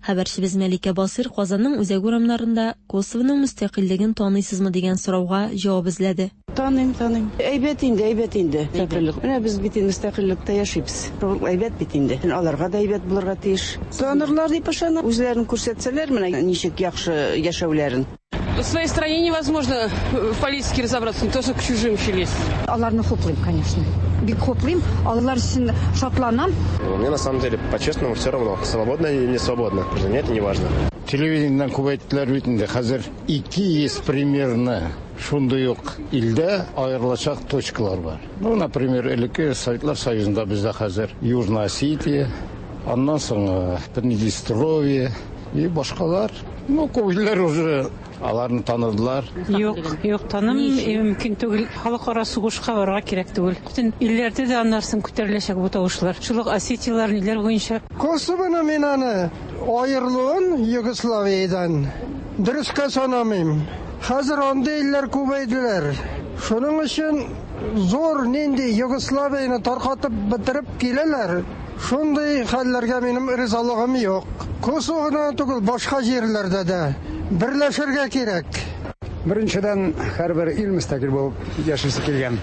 Хәбәрчебез Мәликә Басыйр Казанның үзәк урамнарында Косовоның мөстәкыйльлеген таныйсызмы дигән сорауга җавап эзләде. Таныйм, таныйм. Әйбәт инде, әйбәт инде. Мөстәкыйльлек. Менә без бит инде мөстәкыйльлектә яшибез. Ул әйбәт бит инде. Аларга да әйбәт булырга тиеш. Танырлар дип ышанам. Үзләрен күрсәтсәләр, менә ничек яхшы яшәүләрен. В своей стране невозможно в политике разобраться, не то что к чужим еще лезть. Аларны хуплыйм, конечно. Бик хуплыйм, алар өчен шатланам. Мне на самом деле, по-честному, все равно, свободно или не свободно. Для меня это не важно. Телевидениедән күп әйттеләр бит инде, хәзер 200 примерно шундый ук илдә аерылачак точкалар бар. Ну, например, элекке Советлар Союзында бездә хәзер Южная Осетия, аннан соң э, Приднестровье и башкалар. Ну, күп илләр уже аларны таныдылар. Юк, юк, танымыйм, мөмкин түгел. Халыкара сугышка барырга кирәк түгел. Бөтен илләрдә дә аннан соң күтәреләчәк бу тавышлар. Шул ук Осетияләр, ниләр буенча. Косовоны мин аны аерылуын Югославиядән дөрескә санамыйм. Хәзер андый илләр күбәйделәр. Шуның өчен зур нинди Югославияне таркатып бетереп киләләр. Шундый хәлләргә минем ризалыгым юк. Косово гына түгел, башка җирләрдә дә берләшергә кирәк. Беренчедән, һәрбер ил мөстәкыйль булып яшисе килгән.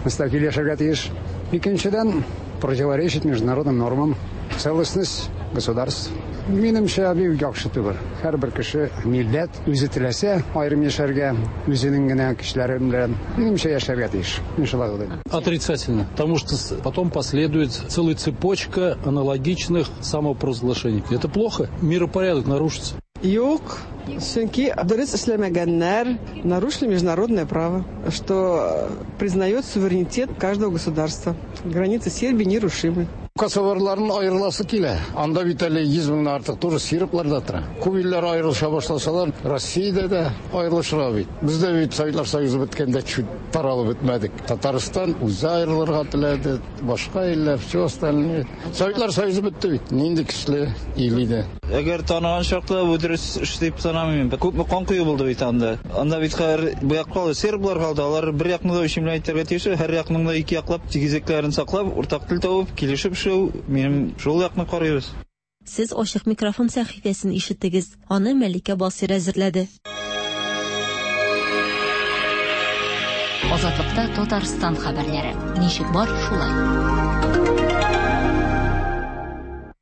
Мөстәкыйль яшәргә тиеш. Икенчедән, противоречит международным нормам, целостность государств. Минемчә, бик яхшы түгел. Һәрбер кеше, милләт үзе теләсә аерым яшәргә, үзенең генә кешеләре белән, минемчә, яшәргә тиеш. Мин шулай уйлыйм. Отрицательно, потому что потом последует целая цепочка аналогичных самопровозглашений. Это плохо, миропорядок нарушится. Юк, чөнки дөрес эшләмәгәннәр, нарушили международное право, что признает суверенитет каждого государства. Границы Сербии нерушимы. Косоварларның аерыласы килә. Анда бит әле 100 меңнән артык тоже серблар да тора. Күп илләр аерылыша башласалар, Россиядә дә аерылышырга бит. Бездә бит Советлар Союзы беткәндә чуть таралып бетмәдек. Татарстан үзе аерылырга теләде, башка илләр, все остальные. Советлар Союзы бетте бит. Нинди көчле ил иде. Әгәр таныган чакта бу дөрес эш дип санамыйм. Күпме кан кою булды бит анда. Анда бит хәзер бу як калды, серблар калды. Алар бер якны да үчен белән әйтергә тиеш, һәр якның да ике яклап тигезлекләрен саклап, уртак тел табып, килешеп эшләү, минем шул якны карыйбыз. Сез Ачык микрофон сәхифәсен ишеттегез. Аны Мәликә Басыйр әзерләде. Азатлыкта Татарстан хәбәрләре. Ничек бар, шулай.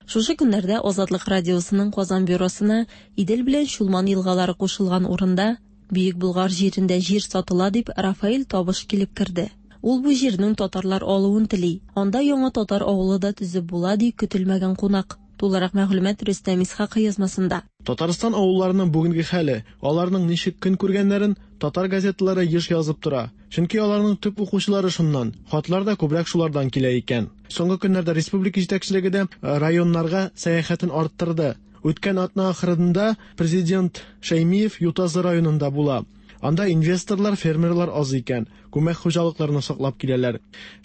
Шушы көннәрдә Азатлык радиосының Казан бюросына Идел белән Чулман елгалары кушылган урында, Бөек Болгар җирендә җир сатыла дип Рафаэль Табыш килеп керде. Ул бу җирнең татарлар алуын тели. Анда яңа татар авылы да төзеп була, ди көтелмәгән кунак. Тулырак мәгълүмат Рөстәм Исхакый язмасында. Татарстан авылларының бүгенге хәле, аларның ничек көн күргәннәрен татар газеталары еш язып тора. Чөнки аларның төп укучылары шуннан, хатлар да күбрәк шулардан килә икән. Соңгы көннәрдә республика җитәкчелеге дә районнарга сәяхәтен арттырды. Үткән атна ахырында президент Шәймиев Ютазы районында була. Анда инвесторлар, фермерлар аз икән, күмәк хуҗалыкларны саклап киләләр.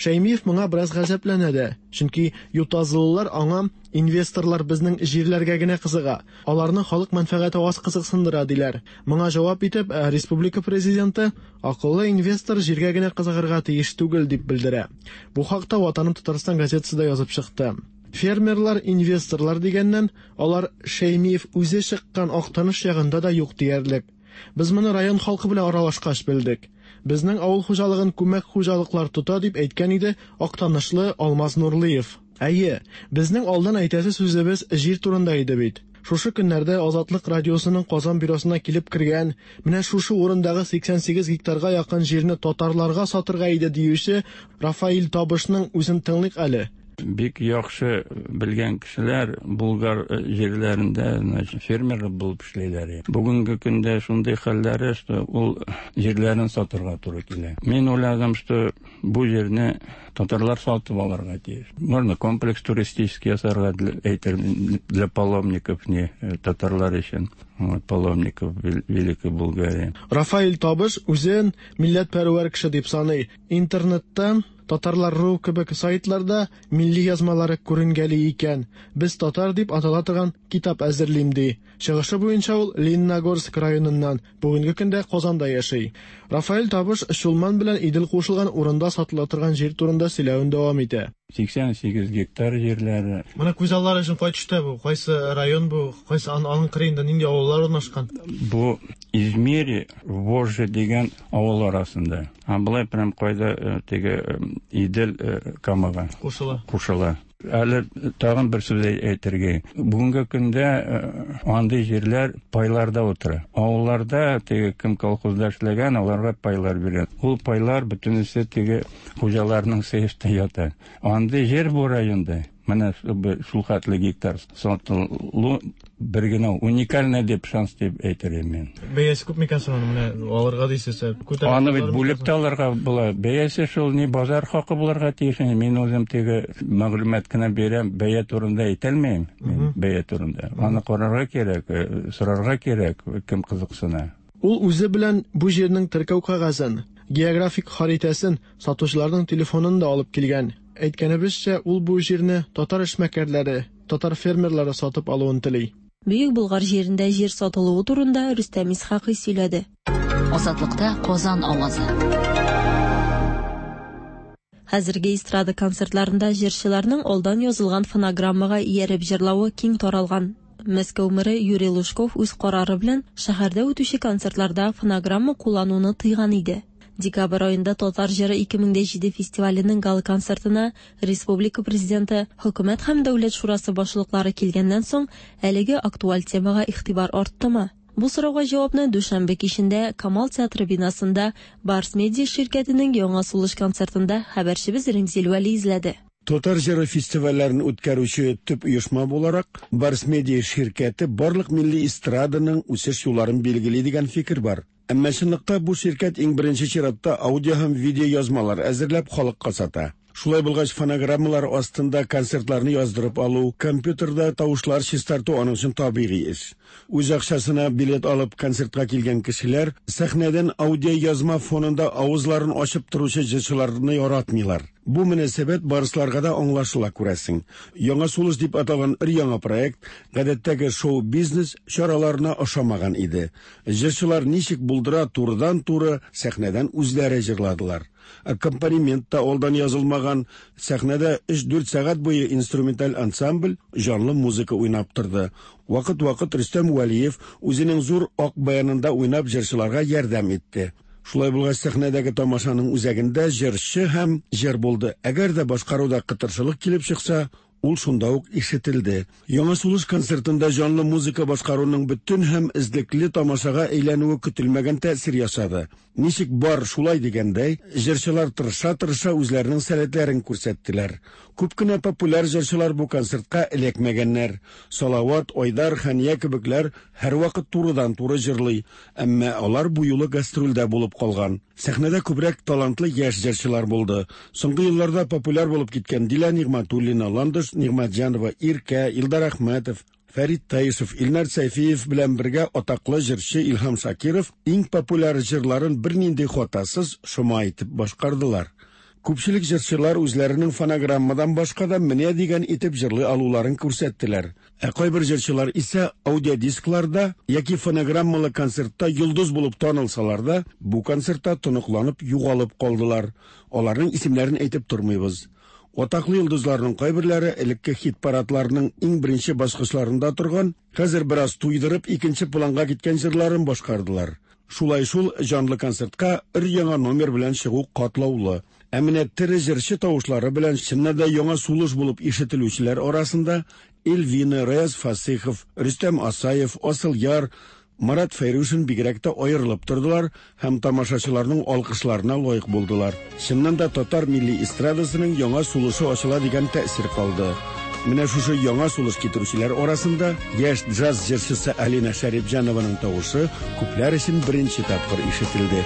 Шәймиев моңа бераз гаҗәпләнә дә, чөнки ютазылылар аңа инвесторлар безнең җирләргә генә кызыга, аларны халык мәнфәгате аз кызыксындыра, диләр. Моңа җавап итеп, республика президенты акыллы инвестор җиргә генә кызыгырга тиеш түгел, дип белдерә. Бу хакта Ватаным Татарстан газетасы да язып чыкты. Фермерлар, инвесторлар дигәннән, алар Шәймиев үзе чыккан Актаныш ягында да юк диярлек. Без моны район халкы белән аралашкач белдек. Безнең авыл хуҗалыгын күмәк хуҗалыклар тота, дип әйткән иде актанышлы Алмаз Нурлыев. Әйе, безнең алдан әйтәсе сүзебез җир турында иде бит. Шушы көннәрдә Азатлык радиосының Казан бюросына килеп кергән, менә шушы урындагы 88 гектарга якын җирне татарларга сатырга иде диюче Рафаил Табышның үзен тыңлыйк әле. Бик яхшы белгән кешеләр Булгар җирләрендә, значит, фермер булып эшлиләр. Бүгенге көндә шундый хәлләре, что ул җирләрен сатырга туры килә. Мин уйладым, что бу җирне татарлар сатып алырга тиеш. Можно комплекс туристический ясарга, әйтер, для паломников, не татарлар өчен. Вот, паломников Великой Булгарии. Рафаэль Табыш үзен милләтпәрвәр кеше дип саный. Интернетта Татарлар.ру кебек сайтларда милли язмалары күренгәли икән. Без татар дип атала торган китап әзерлим ди. Чыгышы буенча ул Лениногорск районыннан, бүгенге көндә Казанда яши. Рафаэль Табыш Чулман белән Идел кушылган урында сатыла торган җир турында сөйләвен дәвам итә. 88 гектар җирләре. Менә күз аллары өчен кай төштә бу? Кайсы район бу? Кайсы аның кырыенда нинди авыллар урнашкан? Бу Измири, Вожжи дигән авыл арасында. А болай прям кайда теге Идел Камага кушыла. Кушыла. Әле тагын бер сүз әйтергә. Бүгенге көндә андый җирләр пайларда утыра. Авылларда теге кем колхозда эшләгән, аларга пайлар бирә. Ул пайлар бөтенесе теге хуҗаларның сейфта ята. Андый җир бу районда менә шул хәтле гектар сатылу бер генә уникальный дип шанс дип әйтер идем мин. Бәясе күп микән соң аны менә алырга дисез? Аны бит бүлеп тә алырга була. Бәясе шул ни базар хакы булырга тиеш. Мин үзем теге мәгълүмат кына бирәм, бәя турында әйтә алмыйм. Мин бәя турында. Аны карарга кирәк, сорарга кирәк, кем кызыксына. Ул үзе белән бу җирнең теркәү кәгазен, географик харитәсен, сатучыларның телефонын да алып килгән. Әйткәнебезчә, ул бу җирне татар эшмәкәрләре, татар фермерлары сатып алуын тели. Бөек Болгар җирендә җир сатылуы турында Рөстәм Исхакый сөйләде. Азатлыкта Казан авазы. Хәзерге эстрада концертларында җырчыларның алдан язылган фонограммага ияреп җырлавы киң таралган. Мәскәү мэры Юрий Лужков үз карары белән шәһәрдә үтүче концертларда фонограмма куллануны тыйган иде. Декабрь аенда Татар җыры 2007 фестиваленең гала-концертына республика Президенты, Хөкүмәт һәм Дәүләт шурасы башлыклары килгәннән соң, әлеге актуаль темага игътибар арттымы? Бу сорауга җавапны дүшәмбе кичендә Камал театры бинасында Барс Медиа ширкәтенең Яңа сулыш концертында хәбәрчебез Римзил Вәли эзләде. Татар җыры фестивальләрен үткәрүче төп оешма буларак, Барс Медиа ширкәте барлык милли эстраданың үсеш юлларын билгели дигән фикер бар. Әмма чынлыкта бу ширкәт иң беренче чиратта аудио һәм видеоязмалар әзерләп халыкка сата. Шулай булгач, фонограммалар астында концертларны яздырып алу, компьютерда тавышлар чистарту аның өчен табигый эш. Үз акчасына билет алып концертка килгән кешеләр сәхнәдән аудиоязма фонында авызларын ачып торучы җырчыларны яратмыйлар. Бу мөнәсәбәт барысларга да аңлашыла, күрәсең. Яңа сулыш дип аталган өр-яңа проект гадәттәге шоу-бизнес чараларына ошамаган иде. Җырчылар ничек булдыра турыдан-туры сәхнәдән үзләре җырладылар. Аккомпанемент та алдан язылмаган, сәхнәдә өч-дүрт сәгать буе инструменталь ансамбль җанлы музыка уйнап торды. Вакыт-вакыт Рөстәм Вәлиев үзенең зур ак баянында уйнап җырчыларга ярдәм итте. Шулай булгач, сәхнәдәге тамашаның үзәгендә җырчы һәм җыр булды. Әгәр дә башкаруда кытыршылык килеп чыкса, ул шунда ук ишетелде. Яңа сулыш концертында җанлы музыка башкаруның бөтен һәм эзлекле тамашага әйләнүе көтелмәгән тәэсир ясады. Ничек бар, шулай дигәндәй, җырчылар тырыша-тырыша үзләренең сәләтләрен күрсәттеләр. Күп кенә популяр җырчылар бу концертка эләкмәгәннәр. Салават, Айдар, Хәния кебекләр һәрвакыт турыдан-туры җырлый, әмма алар бу юлы гастрольдә булып калган. Сәхнәдә күбрәк талантлы яшь җырчылар булды. Соңгы елларда популяр булып киткән Дилә Нигъмәтуллина, Ландыш Нигъмәтҗанова, Иркә, Илдар Әхмәтов, Фәрит Таишев, Илнар Сәйфиев белән бергә атаклы җырчы Илһам Шакиров иң популяр җырларын бернинди хатасыз шома итеп башкардылар. Күпчелек җырчылар үзләренең фонограммадан башка да менә дигән итеп җырлый алуларын күрсәттеләр. Ә кайбер җырчылар исә аудиодискларда яки фонограммалы концертта йолдыз булып танылсалар да, бу концертта тоныкланып югалып калдылар. Аларның исемнәрен әйтеп тормыйбыз. Атаклы йолдызларның кайберләре элекке хит-парадларның иң беренче баскычларында торган, хәзер бераз туйдырып икенче планга киткән җырларын башкардылар. Шулай шул җанлы концертка өр-яңа номер белән чыгу катлаулы. Ә менә тере җырчы тавышлары белән чыннан да яңа сулыш булып ишетелүчеләр арасында Эльвина, Раяз Фасыйхов, Рөстәм Асаев, Асылъяр, Марат Фәйрушин бигрәк тә аерылып тордылар һәм тамашачыларның алкышларына лаек булдылар. Чыннан да татар милли эстрадасының яңа сулышы ачыла дигән тәэсир калды. Менә шушы яңа сулыш китерүчеләр арасында яшь джаз җырчысы Алина Шәрипҗанованың тавышы күпләр өчен беренче тапкыр ишетелде.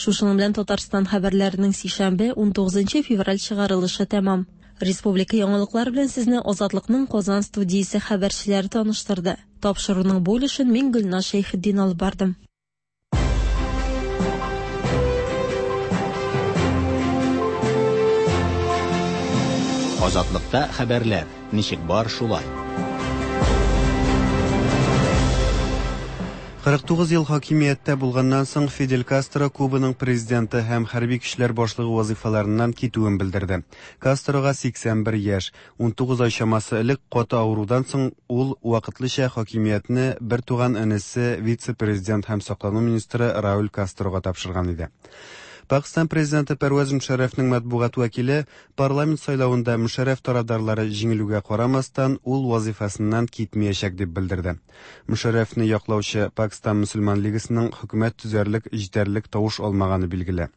Шушының белән Татарстан хәбәрләренең сишәмбе 19 февраль чыгарылышы тәмам. Республика яңалыклары белән сезне Азатлыкның Казан студиясе хәбәрчеләре таныштырды. Тапшыруның бу өлешен мин Гөлназ Шәйхетдин алып бардым. Азатлыкта хәбәрләр ничек бар шулай. 49 ел хакимияттә булганнан соң Фидель Кастро Кубаның президенты һәм хәрби көчләр башлыгы вазыйфаларыннан китүен белдерде. Кастрога 81 яшь, 19 ай чамасы элек каты авырудан соң ул вакытлыча хакимиятне бер туган энесе вице-президент һәм саклану министры Рауль Кастрога тапшырган иде. Пакстан президенты Пәрвәз Мөшәррәфнең матбугат вәкиле парламент сайлавында Мөшәррәф тарафдарлары җиңелүгә карамастан, ул вазыйфасыннан китмәячәк дип белдерде. Мөшәррәфне яклаучы Пакстан мөселман лигасының хөкүмәт төзәрлек җитәрлек тавыш алмаганы билгеле.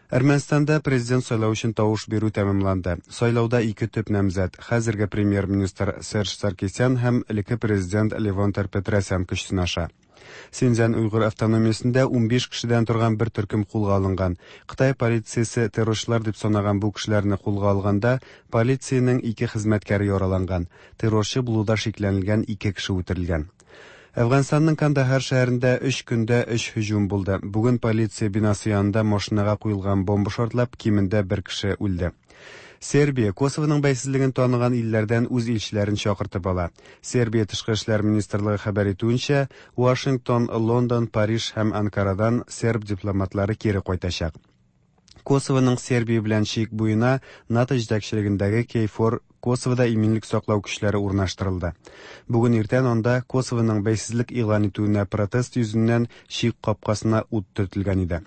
Әрмәнстанда президент сайлау өчен тавыш бирү тәмамланды. Сайлауда ике төп намзәт хәзерге премьер-министр Серж Саркисян һәм элекке президент Левон Тер-Петросян көч сынаша. Синьцзян уйгыр автономиясендә 15 кешедән торган бер төркем кулга алынган. Кытай полициясе террорчылар дип санаган бу кешеләрне кулга алганда, полициянең ике хезмәткәре яраланган. Террорчы булуда шикләнелгән ике кеше үтерелгән. Әфганстанның Кандахар шәһәрендә өч көндә өч һөҗүм булды. Бүген полиция бинасы янында машинага куелган бомба шартлап, кимендә бер кеше үлде. Сербия Косовоның бәйсезлеген таныган илләрдән үз илчеләрен чакыртып ала. Сербия тышкы эшләр министрлыгы хәбәр итүенчә, Вашингтон, Лондон, Париж һәм Анкарадан серб дипломатлары кире кайтачак. Косовоның Сербия белән чик буена НАТО җитәкчелегендәге KFOR Косовода иминлек саклау көчләре урнаштырылды. Бүген иртән анда Косовоның бәйсезлек игълан итүенә протест йөзеннән чик капкасына ут төртелгән иде.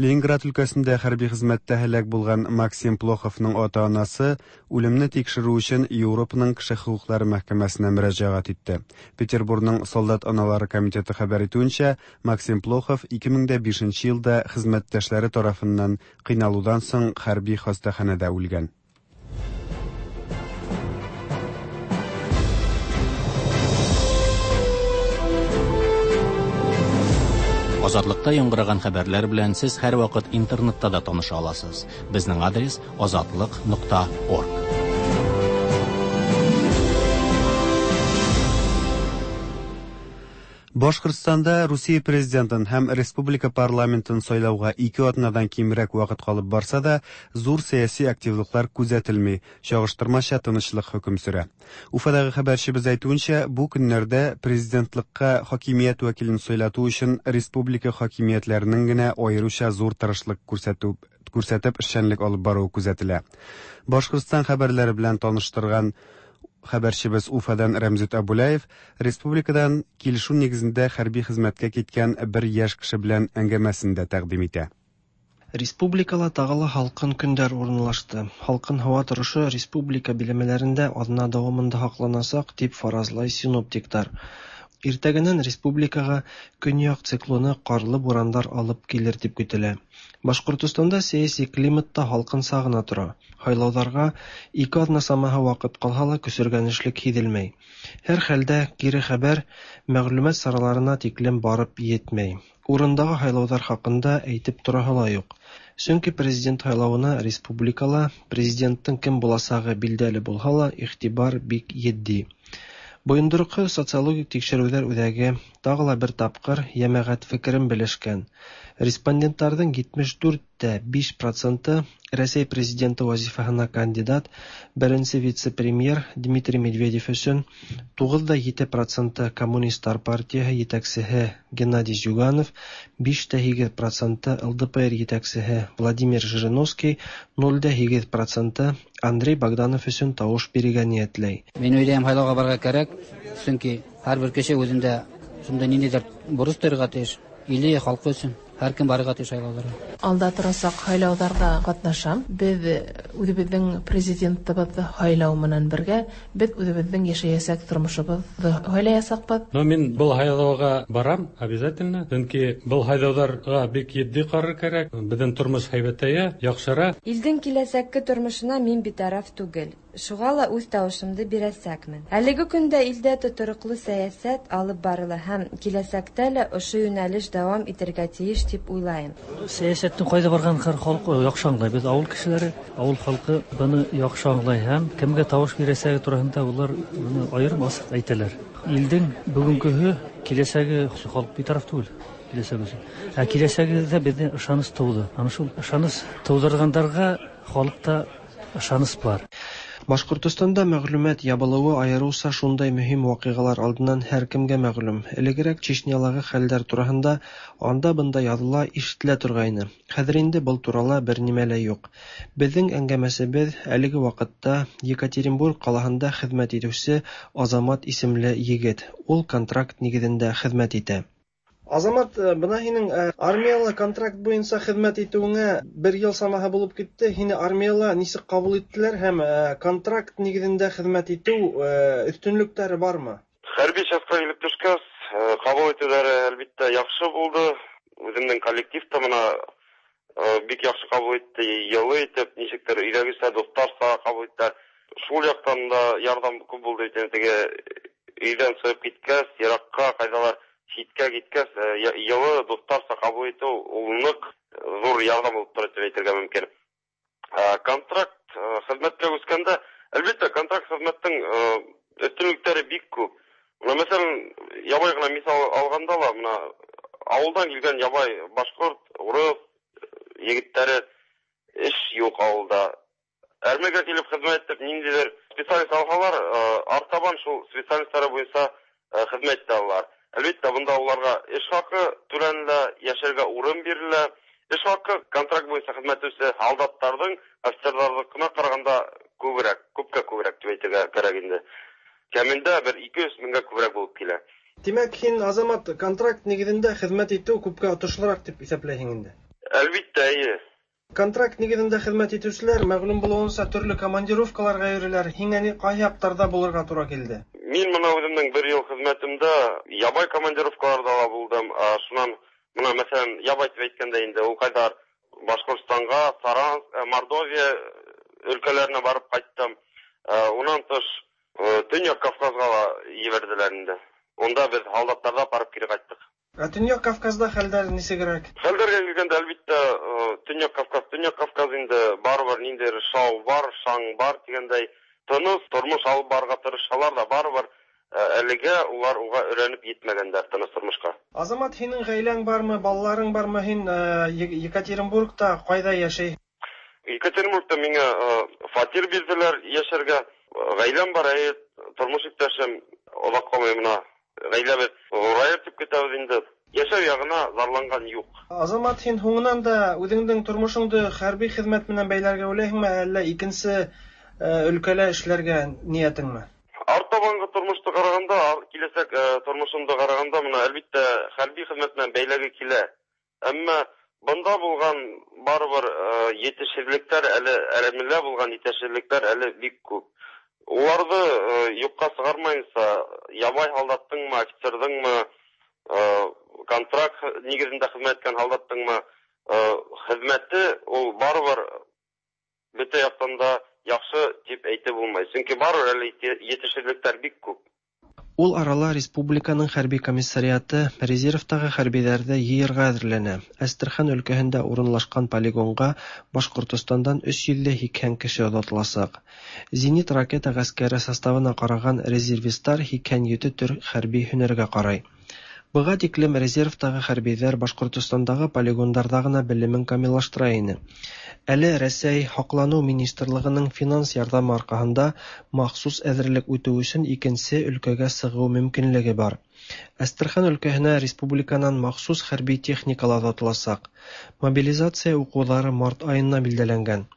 Ленинград өлкәсендә хәрби хезмәттә һәлак булган Максим Плоховның ата-анасы үлемне тикшерү өчен Европаның кеше хокуклары мәхкәмәсенә мөрәҗәгать итте. Петербургның солдат аналары комитеты хәбәр итүенчә, Максим Плохов 2005 елда хезмәттәшләре тарафыннан кыйналудан соң хәрби хастаханәдә үлгән. Азатлыкта яңгыраган хәбәрләр белән сез һәрвакыт интернетта да таныша аласыз. Безнең адрес азатлык.орг. Башкортстанда Русия президентын һәм республика парламентын сайлауга ике атнадан кимрәк вакыт калып барса да, зур сәяси активлыклар күзәтелми, чагыштырмача тынычлык хөкем сөрә. Уфадагы хәбәрчебез әйтүенчә, бу көннәрдә президентлыкка хакимият вәкилен сайлату өчен республика хакимиятләренең генә аеруча зур тырышлык күрсәтү күрсәтеп эшчәнлек алып баруы күзәтелә. Башкортстан хәбәрләре белән таныштырган хәбәрчебез Уфадан Рәмзит Абулаев республикадан килешү нигезендә хәрби хезмәткә киткән бер яшь кеше белән әңгәмәсен дә тәкъдим итә. Республикала тагы ла һалкын көннәр урынлашты. Һалкын һава торышы республика биләмәләрендә атна дәвамында һакланачак, дип фаразлый синоптиклар. Иртәгәннән республикага көньяк циклоны карлы бураннар алып килер дип көтелә. Башкортостанда сәяси климат та һалкынча гына тора. Һайлауларга ике атна самаһы вакыт калһа ла көсөргәнешлек һиҙелмәй. Һәр хәлдә кире хәбәр мәгълүмат сараларына тиклем барып етмәй. Урындагы һайлауҙар хаҡында әйтеп тораһы ла юҡ. Сөнки президент һайлауына республикала президенттың кем буласағы билдәле булһа ла, иғтибар бик етди. Бойондороҡһоҙ социологик тикшереүҙәр үҙәге тағы ла бер тапҡыр йәмәғәт фекерен белешкән. Респонденттарҙың 74,5 проценты Рәсәй президенты вазифаһына кандидат беренсе вице-премьер Дмитрий Медведев өсөн, 9,7 проценты Коммунисттар партияһы етәксеһе Геннадий Зюганов, 5,8 проценты ЛДПР етәксеһе Владимир Жириновский, 0,8 проценты Андрей Богданов өсөн тауыш бирергә ниәтләй. Мин уйлайым, һайлауға барырға кәрәк, сөнки һәр бер кеше үҙендә шундай ниндәйҙер бурыс тойорға тейеш, иле, халҡы өсөн. Һәр кем барырға тейеш һайлауҙарға. Алда торасаҡ һайлауҙарҙа ҡатнашам. Беҙ үҙебеҙҙең президентыбыҙҙы һайлау менән бергә беҙ үҙебеҙҙең йәшәйәсәк тормошобоҙҙо һайлаясаҡбыҙ. Но мин был һайлауға барам обязательно, сөнки был һайлауҙарға бик етди ҡарар кәрәк. Беҙҙең тормош һәйбәтәйә, яҡшыра. Илдең киләсәкке тормошона мин битараф түгел. Шуға ла үҙ тауышымды бирәсәкмен. Әлеге көндә илдә тотороҡло сәйәсәт алып барыла һәм киләсәктә лә ошо йүнәлеш дауам итергә тейеш тип уйлайым. Сәйәсәттең ҡайҙа барғанын халыҡ яҡшы аңлай. Беҙ ауыл кешеләре, ауыл халҡы быны яҡшы аңлай һәм кемгә тауыш бирәсәге тураһында улар быны айырым асыҡ әйтәләр. Илдең бөгөнгөһө, киләсәге халыҡ битараф түгел. Киләсәге өсөн. Ә киләсәгебеҙҙә беҙҙең ышаныс тыуҙы. Ана шул ышаныс тыуҙырғандарға халыҡта ышаныс бар. Башҡортостанда мәғлүмәт ябылыуы айырыуса шундай мөһим ваҡиғалар алдынан һәр кемгә мәғлүм. Элегерәк Чечнялағы хәлдәр тураһында анда-бында яҙыла, ишетелә торғайны. Хәҙер инде был турала бер нимә лә юҡ. Беҙҙең әңгәмәсебеҙ әлеге ваҡытта Екатеринбург ҡалаһында хеҙмәт итеүсе Азамат исемле егет. Ул контракт нигеҙендә хеҙмәт итә. Азамат, бына һинең армияла контракт буйынса хеҙмәт итеүеңә бер йыл самаһы булып китте. Һине армияла нисек ҡабул иттеләр һәм контракт нигеҙендә хеҙмәт итеү өҫтөнлөктәре бармы? Хәрби частьҡа килеп төшкәс, ҡабул итеүҙәре әлбиттә яҡшы булды. Үҙемдең коллектив та бына бик яҡшы ҡабул итте, йылы итеп, нисектер өйҙәгесә, дуҫтарса ҡабул иттеләр. Шул яҡтан да ярҙам күп булды. Теге өйҙән сығып киткәс, йыраҡҡа, ҡайҙалар ситкә киткәс, йылы дуҫтарса ҡабул итеү ул ныҡ ҙур ярҙам булып тора тип әйтергә мөмкин. Контракт хеҙмәткә күскәндә, әлбиттә, контракт хеҙмәттең өҫтөнлөктәре бик күп. Бына, мәҫәлән, ябай ғына миҫал алғанда ла, бына ауылдан килгән ябай башҡорт, урыҫ егеттәре эш юҡ ауылда. Әрмегә килеп хеҙмәт итеп, ниндәйҙер специалист алһалар, артабан шул специалисттары буйынса хеҙмәт итә алалар. Әлбиттә, бында уларға эш хаҡы түләнелә, йәшәргә урын бирелә. Эш хаҡы контракт буйынса хеҙмәт итеүсе һалдаттарҙың офицерҙарҙыҡына ҡарағанда күберәк, күпкә күберәк тип әйтергә кәрәк инде. Кәмендә бер 200 меңгә күберәк булып килә. Тимәк, һин, Азамат, контракт нигеҙендә хеҙмәт итеү күпкә отошлораҡ тип иҫәпләйһең инде? Әлбиттә, эйе. Контракт нигеҙендә хеҙмәт итеүселәр мәғлүм булыуынса төрлө командировкаларға йөрөйләр. Һиңә ни ҡай яҡтарҙа булырға тура килде? Мин бына үҙемдең бер йыл хеҙмәтемдә ябай командировкаларҙа ла булдым. Шунан бына, мәҫәлән, ябай тип әйткәндә инде ул ҡайҙар Башҡортостанға, Саранск, Мордовия өлкәләренә барып ҡайттым. Унан тыш Төньяҡ Кавказға ла ебәрҙеләр инде. Унда беҙ һалдаттарҙа барып кире ҡайттыҡ. Ә Төньяҡ Кавказда хәлдәр нисегерәк? Хәлдәргә килгәндә, әлбиттә, Төньяҡ Кавказ инде барыбер ниндәйҙер шау бар, шаң бар тигәндәй, тыныс тормош алып барырға тырышһалар ҙа, барыбер әлегә улар уға өйрәнеп етмәгәндәр тыныс тормошҡа. Азамат, һинең ғаиләң бармы, балаларың бармы? Һин Екатеринбургта ҡайҙа йәшәй? Екатеринбургта миңә фатир бирҙеләр йәшәргә. Ғаиләм бар, әйе, тормош иптәшем оҙаҡ ҡалмай бына. Ғаиләбеҙ ҙурайыр тип көтәбеҙ инде. Йәшәү яғына зарланған юҡ. Азамат, һин һуңынан да үҙеңдең тормошоңдо хәрби хеҙмәт менән бәйләргә уйлайһыңмы, әллә икенсе өлкәлә эшләргә ниәтеңме? Артабанғы тормошто ҡарағанда, киләсәк тормошомдо ҡарағанда, бына әлбиттә хәрби хеҙмәт менән бәйләге килә. Әммә бында булған барыбер етешһеҙлектәр әле, әрмелә булған етешһеҙлектәр әле бик күп. Уларҙы юҡҡа сығармайынса, ябай һалдаттыңмы, офицерҙыңмы, контракт нигеҙендә хеҙмәт иткән һалдаттыңмы, хеҙмәте ул барыбер бөтә яҡтан да яҡшы тип әйтеп булмай. Сөнки барыбер әле етешһеҙлектәр бик күп. Ул арала республиканың хәрби комиссариаты резервтагы хәрбиләрҙе йыйырға әҙерләнә. Әстерхан өлкәһендә урынлашҡан полигонға Башҡортостандан 380 кеше оҙатыласаҡ. Зенит ракета ғәскәре составына ҡараған резервисттар 87 төр хәрби һөнәргә ҡарай. Быға тиклем резервтагы хәрбиҙәр Башҡортостандағы полигондарҙа ғына белемен камиллаштыра ине. Әле Рәсәй һаҡланыу министрлығының финанс ярҙамы арҡаһында махсус әҙерлек үтеү өсөн икенсе өлкәгә сығыу мөмкинлеге бар. Әстерхан өлкәһенә республиканан махсус хәрби техникала оҙатыласаҡ. Мобилизация уҡыуҙары март айына билдәләнгән.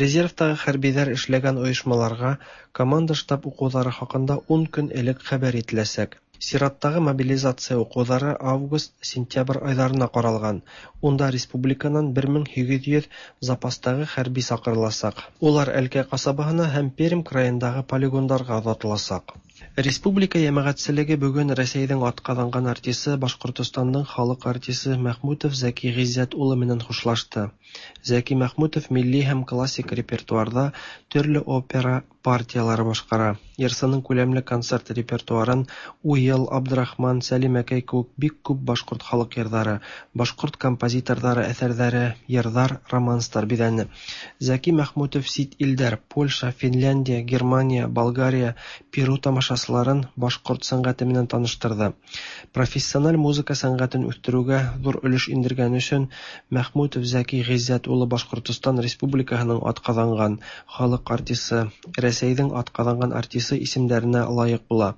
Резервтагы хәрбиҙәр эшләгән ойошмаларға команда штаб уҡыуҙары хаҡында 10 көн элек хәбәр ителәсәк. Сираттағы мобилизация уҡыуҙары август-сентябрь айҙарына ҡаралған. Унда республиканан 1800 запастағы хәрби саҡырыласаҡ. Улар Әлкәй ҡасабаһына һәм Пермь крайындағы полигондарға оҙатыласаҡ. Республика йәмәғәтселеге бөгөн Рәсәйҙең атҡаҙанған артисы, Башҡортостандың халыҡ артисы Мәхмүтов Зәки Ғиззәт улы менән хушлашты. Зәки Мәхмүтов милли һәм классик репертуарҙа төрлө опера партиялары башҡара. Йырсының күләмле концерт репертуарын Уйыл, Абдрахман, Сәлимәкәй кеүек бик күп башҡорт халыҡ йырҙары, башҡорт композиторҙары әҫәрҙәре, йырҙар, романстар биҙәне. Зәки Мәхмүтов сит илдәр Польша, Финляндия, Германия, Болгария, Перу тамашасыларын башҡорт сәнғәте менән таныштырҙы. Профессиональ музыка сәнғәтен үҫтереүгә ҙур өлөш индергән өсөн Мәхмүтов Зәки Ғиззәт улы Башҡортостан Республикаһының атҡаҙанған халыҡ артисы, Рәсәйҙең атҡаҙанған артисы исемдәренә лайыҡ була.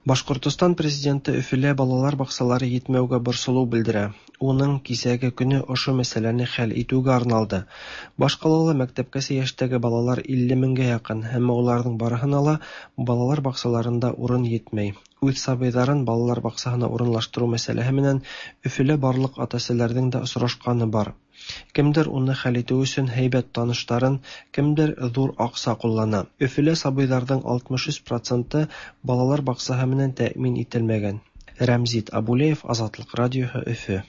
Башҡортостан президенты Өфөлә балалар баҡсалары етмәүгә борсолоу белдерә. Уның кисәге көнө ошо мәсьәләне хәл итеүгә арналды. Баш ҡалала мәктәпкәсә йәштәге балалар 50 меңгә яҡын, әммә уларҙың барыһына ла балалар баҡсаларында урын етмәй. Үҙ сабыйҙарын балалар баҡсаһына урынлаштырыу мәсьәләһе менән Өфөлә барлыҡ ата-әсәләрҙең дә осрашҡаны бар. Кемдер уны хәл итеү өсөн һәйбәт таныштарын, кемдер ҙур аҡса ҡуллана. Өфөлә сабыйҙарҙың 63% балалар баҡсаһы менән тәьмин ителмәгән. Рәмзит Абулеев, Азатлыҡ радиоһы, Өфө.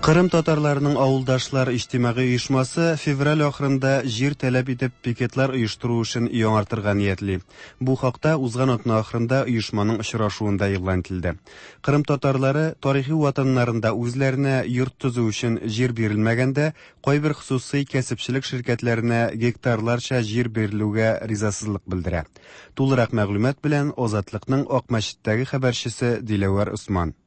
Кырым татарларының авылдашлар иҗтимагый оешмасы февраль ахырында җир таләп итеп пикетлар оештыру эшен яңартырга ниятли. Бу хакта узган атна ахырында оешманың очрашуында игълан ителде. Кырым татарлары тарихи ватаннарында үзләренә йорт төзү өчен җир бирелмәгәндә, кайбер хосусый кәсепчелек ширкәтләренә гектарларча җир бирелүгә ризасызлык белдерә. Тулырак мәгълүмат белән Азатлыкның Акмәчеттәге хәбәрчесе Диләвәр Усман.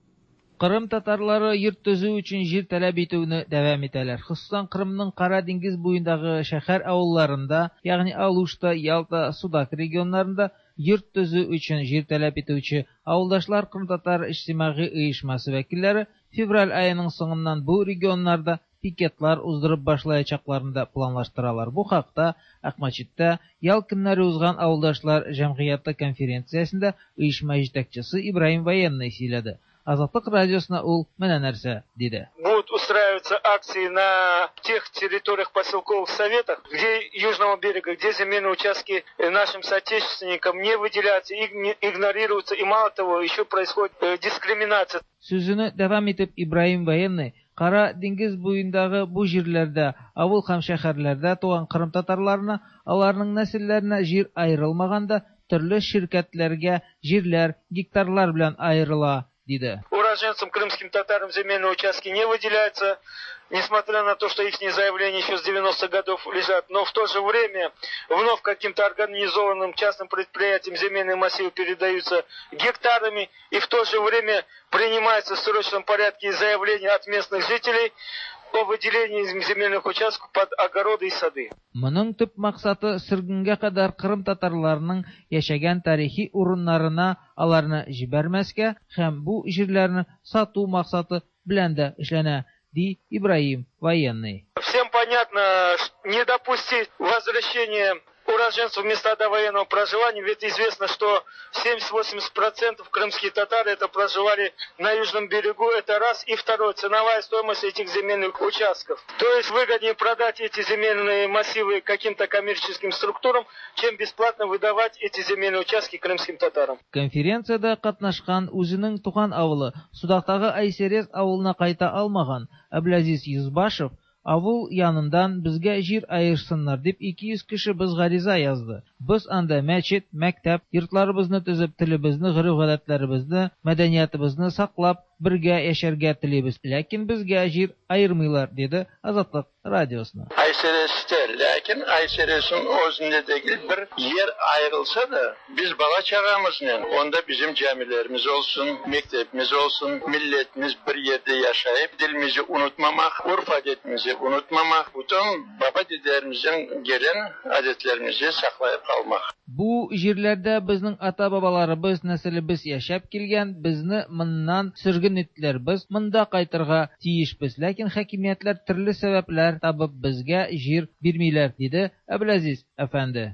Кырым татарлары йорт төзү өчен җир таләп итүне дәвам итәләр. Хосусан Кырымның Кара диңгез буендагы шәһәр авылларында, ягъни Алушта, Ялта, Судак регионнарында йорт төзү өчен җир таләп итүче авылдашлар Кырым татар иҗтимагый оешмасы вәкилләре февраль аеның соңыннан бу регионнарда пикетлар уздырып башлаячакларын да планлаштыралар. Бу хакта Акмәчеттә ял көннәре узган авылдашлар җәмгыяте конференциясендә оешма җитәкчесе Ибраһим Военный сөйләде. Азатлык радиосына ул менә нәрсә диде. Будут устраиваться акции на тех территориях поселковых советах, где южного берега, где земельные участки нашим соотечественникам не выделяются, игнорируются, и мало того, еще происходит дискриминация. Сүзен дәвам итеп Ибраһим Военный Кара диңгез буендагы бу җирләрдә, авыл һәм шәһәрләрдә туган кырым татарларына, аларның нәселләренә җир аерылмаганда, төрле ширкәтләргә җирләр гектарлар белән аерыла, диде. Уроженцам крымским татарам земельные участки не выделяются, несмотря на то, что их заявления еще с 90-х годов лежат, но в то же время вновь каким-то организованным частным предприятиям земельные массивы передаются гектарами, и в то же время принимаются в срочном порядке заявления от местных жителей о выделении земельных участков под огороды и сады. Моның төп максаты сөргенгә кадәр кырым татарларының яшәгән тарихи урыннарына аларны җибәрмәскә һәм бу җирләрне сату максаты белән дә эшләнә. ди Ибраһим Военный. Всем понятно, не допустить возвращения уроженцев в места довоенного проживания, ведь известно, что 70-80% крымские татары это проживали на южном берегу, это раз. И второе, ценовая стоимость этих земельных участков. То есть выгоднее продать эти земельные массивы каким-то коммерческим структурам, чем бесплатно выдавать эти земельные участки крымским татарам. Конференциядә катнашкан үзенең туган авылы Судактагы Айсерез авылына кайта алмаган Әбләзиз Йөзбашев Авыл яныннан безгә җир аерсыннар дип 200 кеше без гариза язды. Без анда мәчет, мәктәп, йортларыбызны төзеп, телебезне, гореф-гадәтләребезне, мәдәниятыбызны саклап, бергә яшәргә телибез. Ләкин безгә җир аермыйлар, диде Азатлык радиосына. Айсересте, ләкин Айсересниң özünde degil, bir yer ayırılsa da, biz bala-çağamıznen, onda bizim camilerimiz olsun, mektepimiz olsun, milletimiz bir yerde yaşayıp, dilimizi unutmamaq, urf-adetimizi unutmamaq, bütün baba-dedelerimizden gelen adetlerimizi saqlayıp qalmaq. Бу җирләрдә безнең ата-бабаларыбыз, нәселебез яшәп килгән, безне моннан сөрген иттеләр, без монда кайтырга тиешбез, ләкин хакимиятләр төрле сәбәпләр табып безгә җир бирмиләр, диде Әбләзиз әфәнде.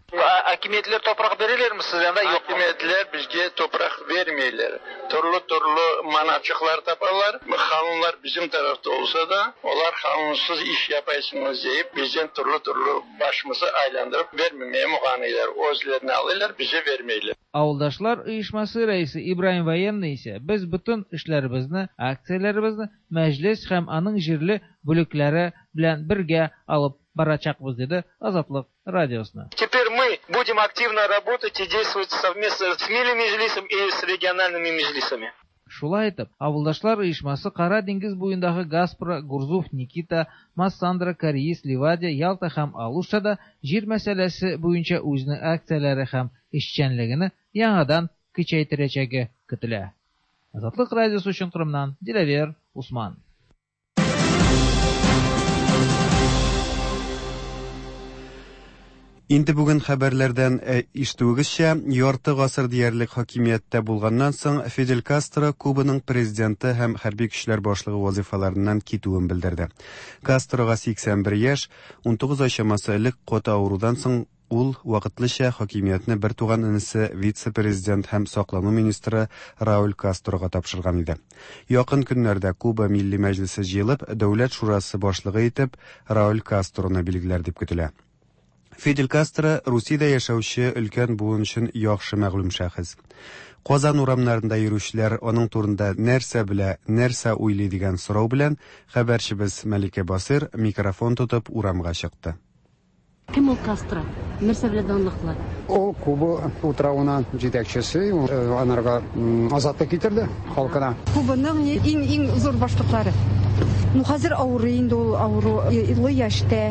Akimiyetler topraq bererlermi sizge anda yoqmı? Akimiyetler bizge topraq bermeyler. Türlü-türlü manaçıqlar tapalar. Qanunlar bizim tarafta olsa da, olar qanunsız iş yapaysıñız deyip, bizden türlü-türlü başımızı aylandırıp bermemeye muğanıylar. Özlerine alıylar, bize bermeyler. Авылдашлар оешмасы рәисе Ибраһим Военный исә, Без бөтен эшләребезне, акцияләребезне Мәҗлес һәм аның җирле бүлекләре белән бергә алып барачакбыз, диде Азатлык радиосына. Теперь мы будем активно работать и действовать совместно с Милли Меджлисом и с региональными меджлисами. Шулай итеп, Авылдашлар оешмасы Кара диңгез буендагы Гаспра, Гурзуф, Никита, Массандра, Кореиз, Ливадия, Ялта һәм Алуштада җир мәсьәләсе буенча үзенең акцияләре һәм эшчәнлегене яңадан көчәйтерәчәге көтелә. Азатлык радиосы өчен Кырымнан Диләвер Усман. Инде бүген хәбәрләрдән э, ишетүегезчә, ярты гасыр диярлек хакимияттә булганнан соң Фидель Кастро Кубаның президенты һәм хәрби көчләр башлыгы вазыйфаларыннан китүен белдерде. Кастрога 81 яшь, 19 ай чамасы элек каты авырудан соң ул вакытлыча хакимиятне бертуган энесе вице-президент һәм саклану министры Рауль Кастрога тапшырган иде. Якын көннәрдә Куба Милли Мәҗлесе җыелып, Дәүләт шурасы башлыгы итеп Рауль Кастроны билгеләр дип көтелә. Фидель Кастро Русиядә яшәүче өлкән буын өчен яхшы мәгълүм шәхес. Казан урамнарында йөрүчеләр аның турында нәрсә белә, нәрсә уйлый дигән сорау белән хәбәрчебез Мәликә Басыйр микрофон тотып урамга чыкты. Кем ул Кастро? Нәрсә белән данлыклы? Ул Куба утравына җитәкчесе, анарга азатлык китерде халкына. Кубаның иң-иң зур башлыклары. Ну, хәзер авырый инде ул авыру, олы яшьтә.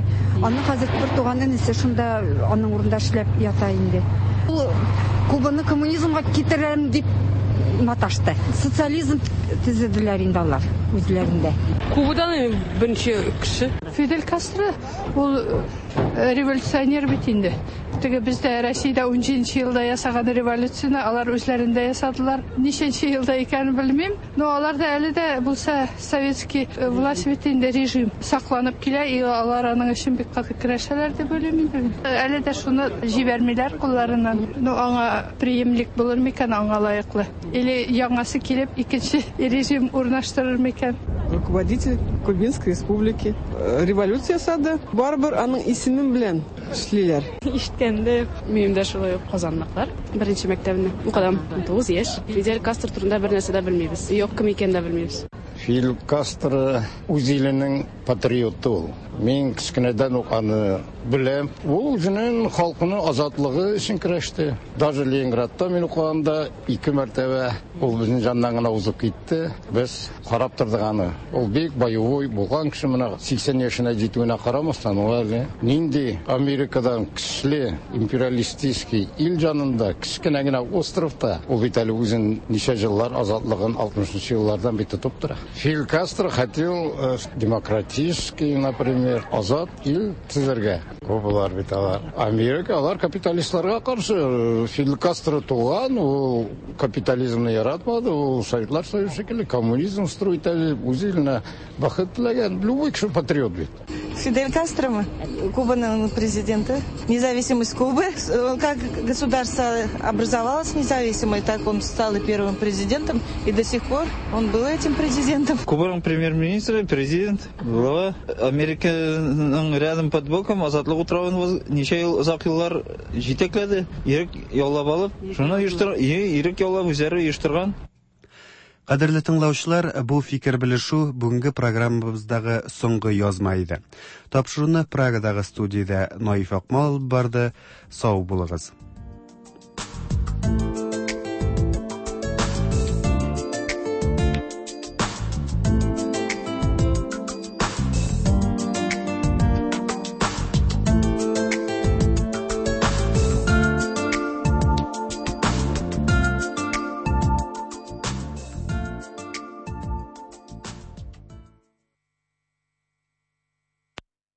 Аның хәзер бер туган энесе шунда аның урында эшләп ята инде. Ул Кубаны коммунизмга китерәм дип маташты. Социализм төзеделәр инде алар үзләрендә. Кубадан беренче кеше. Фидель Кастро ул э, революционер бит инде. Теге бездә Россиядә 17 елда ясаган революцияне алар үзләрендә ясадылар. Ничәнче елда икәнен белмим, но алар да әле дә булса советский э, власть бит инде режим сакланып килә, и алар аның өчен бик каты көрәшәләр дип уйлыйм инде. Әле дә шуны җибәрмиләр кулларыннан. Ну аңа преемник булыр микән аңа лаеклы? Или яңасы килеп икенче режим урнаштырыр микән? Руководитель Кубинской республики э, революция ясады. Барыбер аның исемен белән эшлиләр. Ишеткәндә минем дә шулай ук казанлыклар. Беренче мәктәбне укыдым. 9 яшь. Фидель Кастро турында бер нәрсә дә белмибез. Юк, кем икәнен дә белмибез. Фидель Кастро үз иленең патриоты ул. Мин кечкенәдән үк аны беләм. Ул үзенең халкының азатлыгы өчен көрәште. Даже Ленинградта мин укыганда ике мәртәбә ул безнең җаннан гына узып китте. Без карап тордык аны. Ул бик боевой булган кеше менә 80 яшенә җитүенә карамастан, ул әле нинди Америкадан көчле империалистический ил җанында, кечкенә генә островта, ул бит әле үзен ничә еллар азатлыгын 60 нчы еллардан бит тотып тора. Фидель Кастро хотел э, демократии. Демократический, например, азат ил төзергә. Кубалар бит алар. Америка алар капиталистларга каршы. Фидель Кастро туган, ул капитализмны яратмады, ул Советлар Союзы шикелле коммунизм строить итә, үз иленә бәхет теләгән. Любой кеше патриот бит. Фидель Кастро Кубаның президенты. Независимость Кубы. Как государство образовалось независимое, так он стал и первым президентом, и до сих пор он был этим президентом. Кубаның премьер-министры, президент, глава Американың рядом под боком Азатлык утравын ничә ел, озак еллар җитәкләде, ирек яулап алып, шуны оештыр, ирек яулап үзләре оештырган. Кадерле тыңлаучылар, бу фикер белешү бүгенге программабыздагы соңгы язма иде. Тапшыруны Прагадагы студиядә Наиф Акмал алып барды. Сау булыгыз.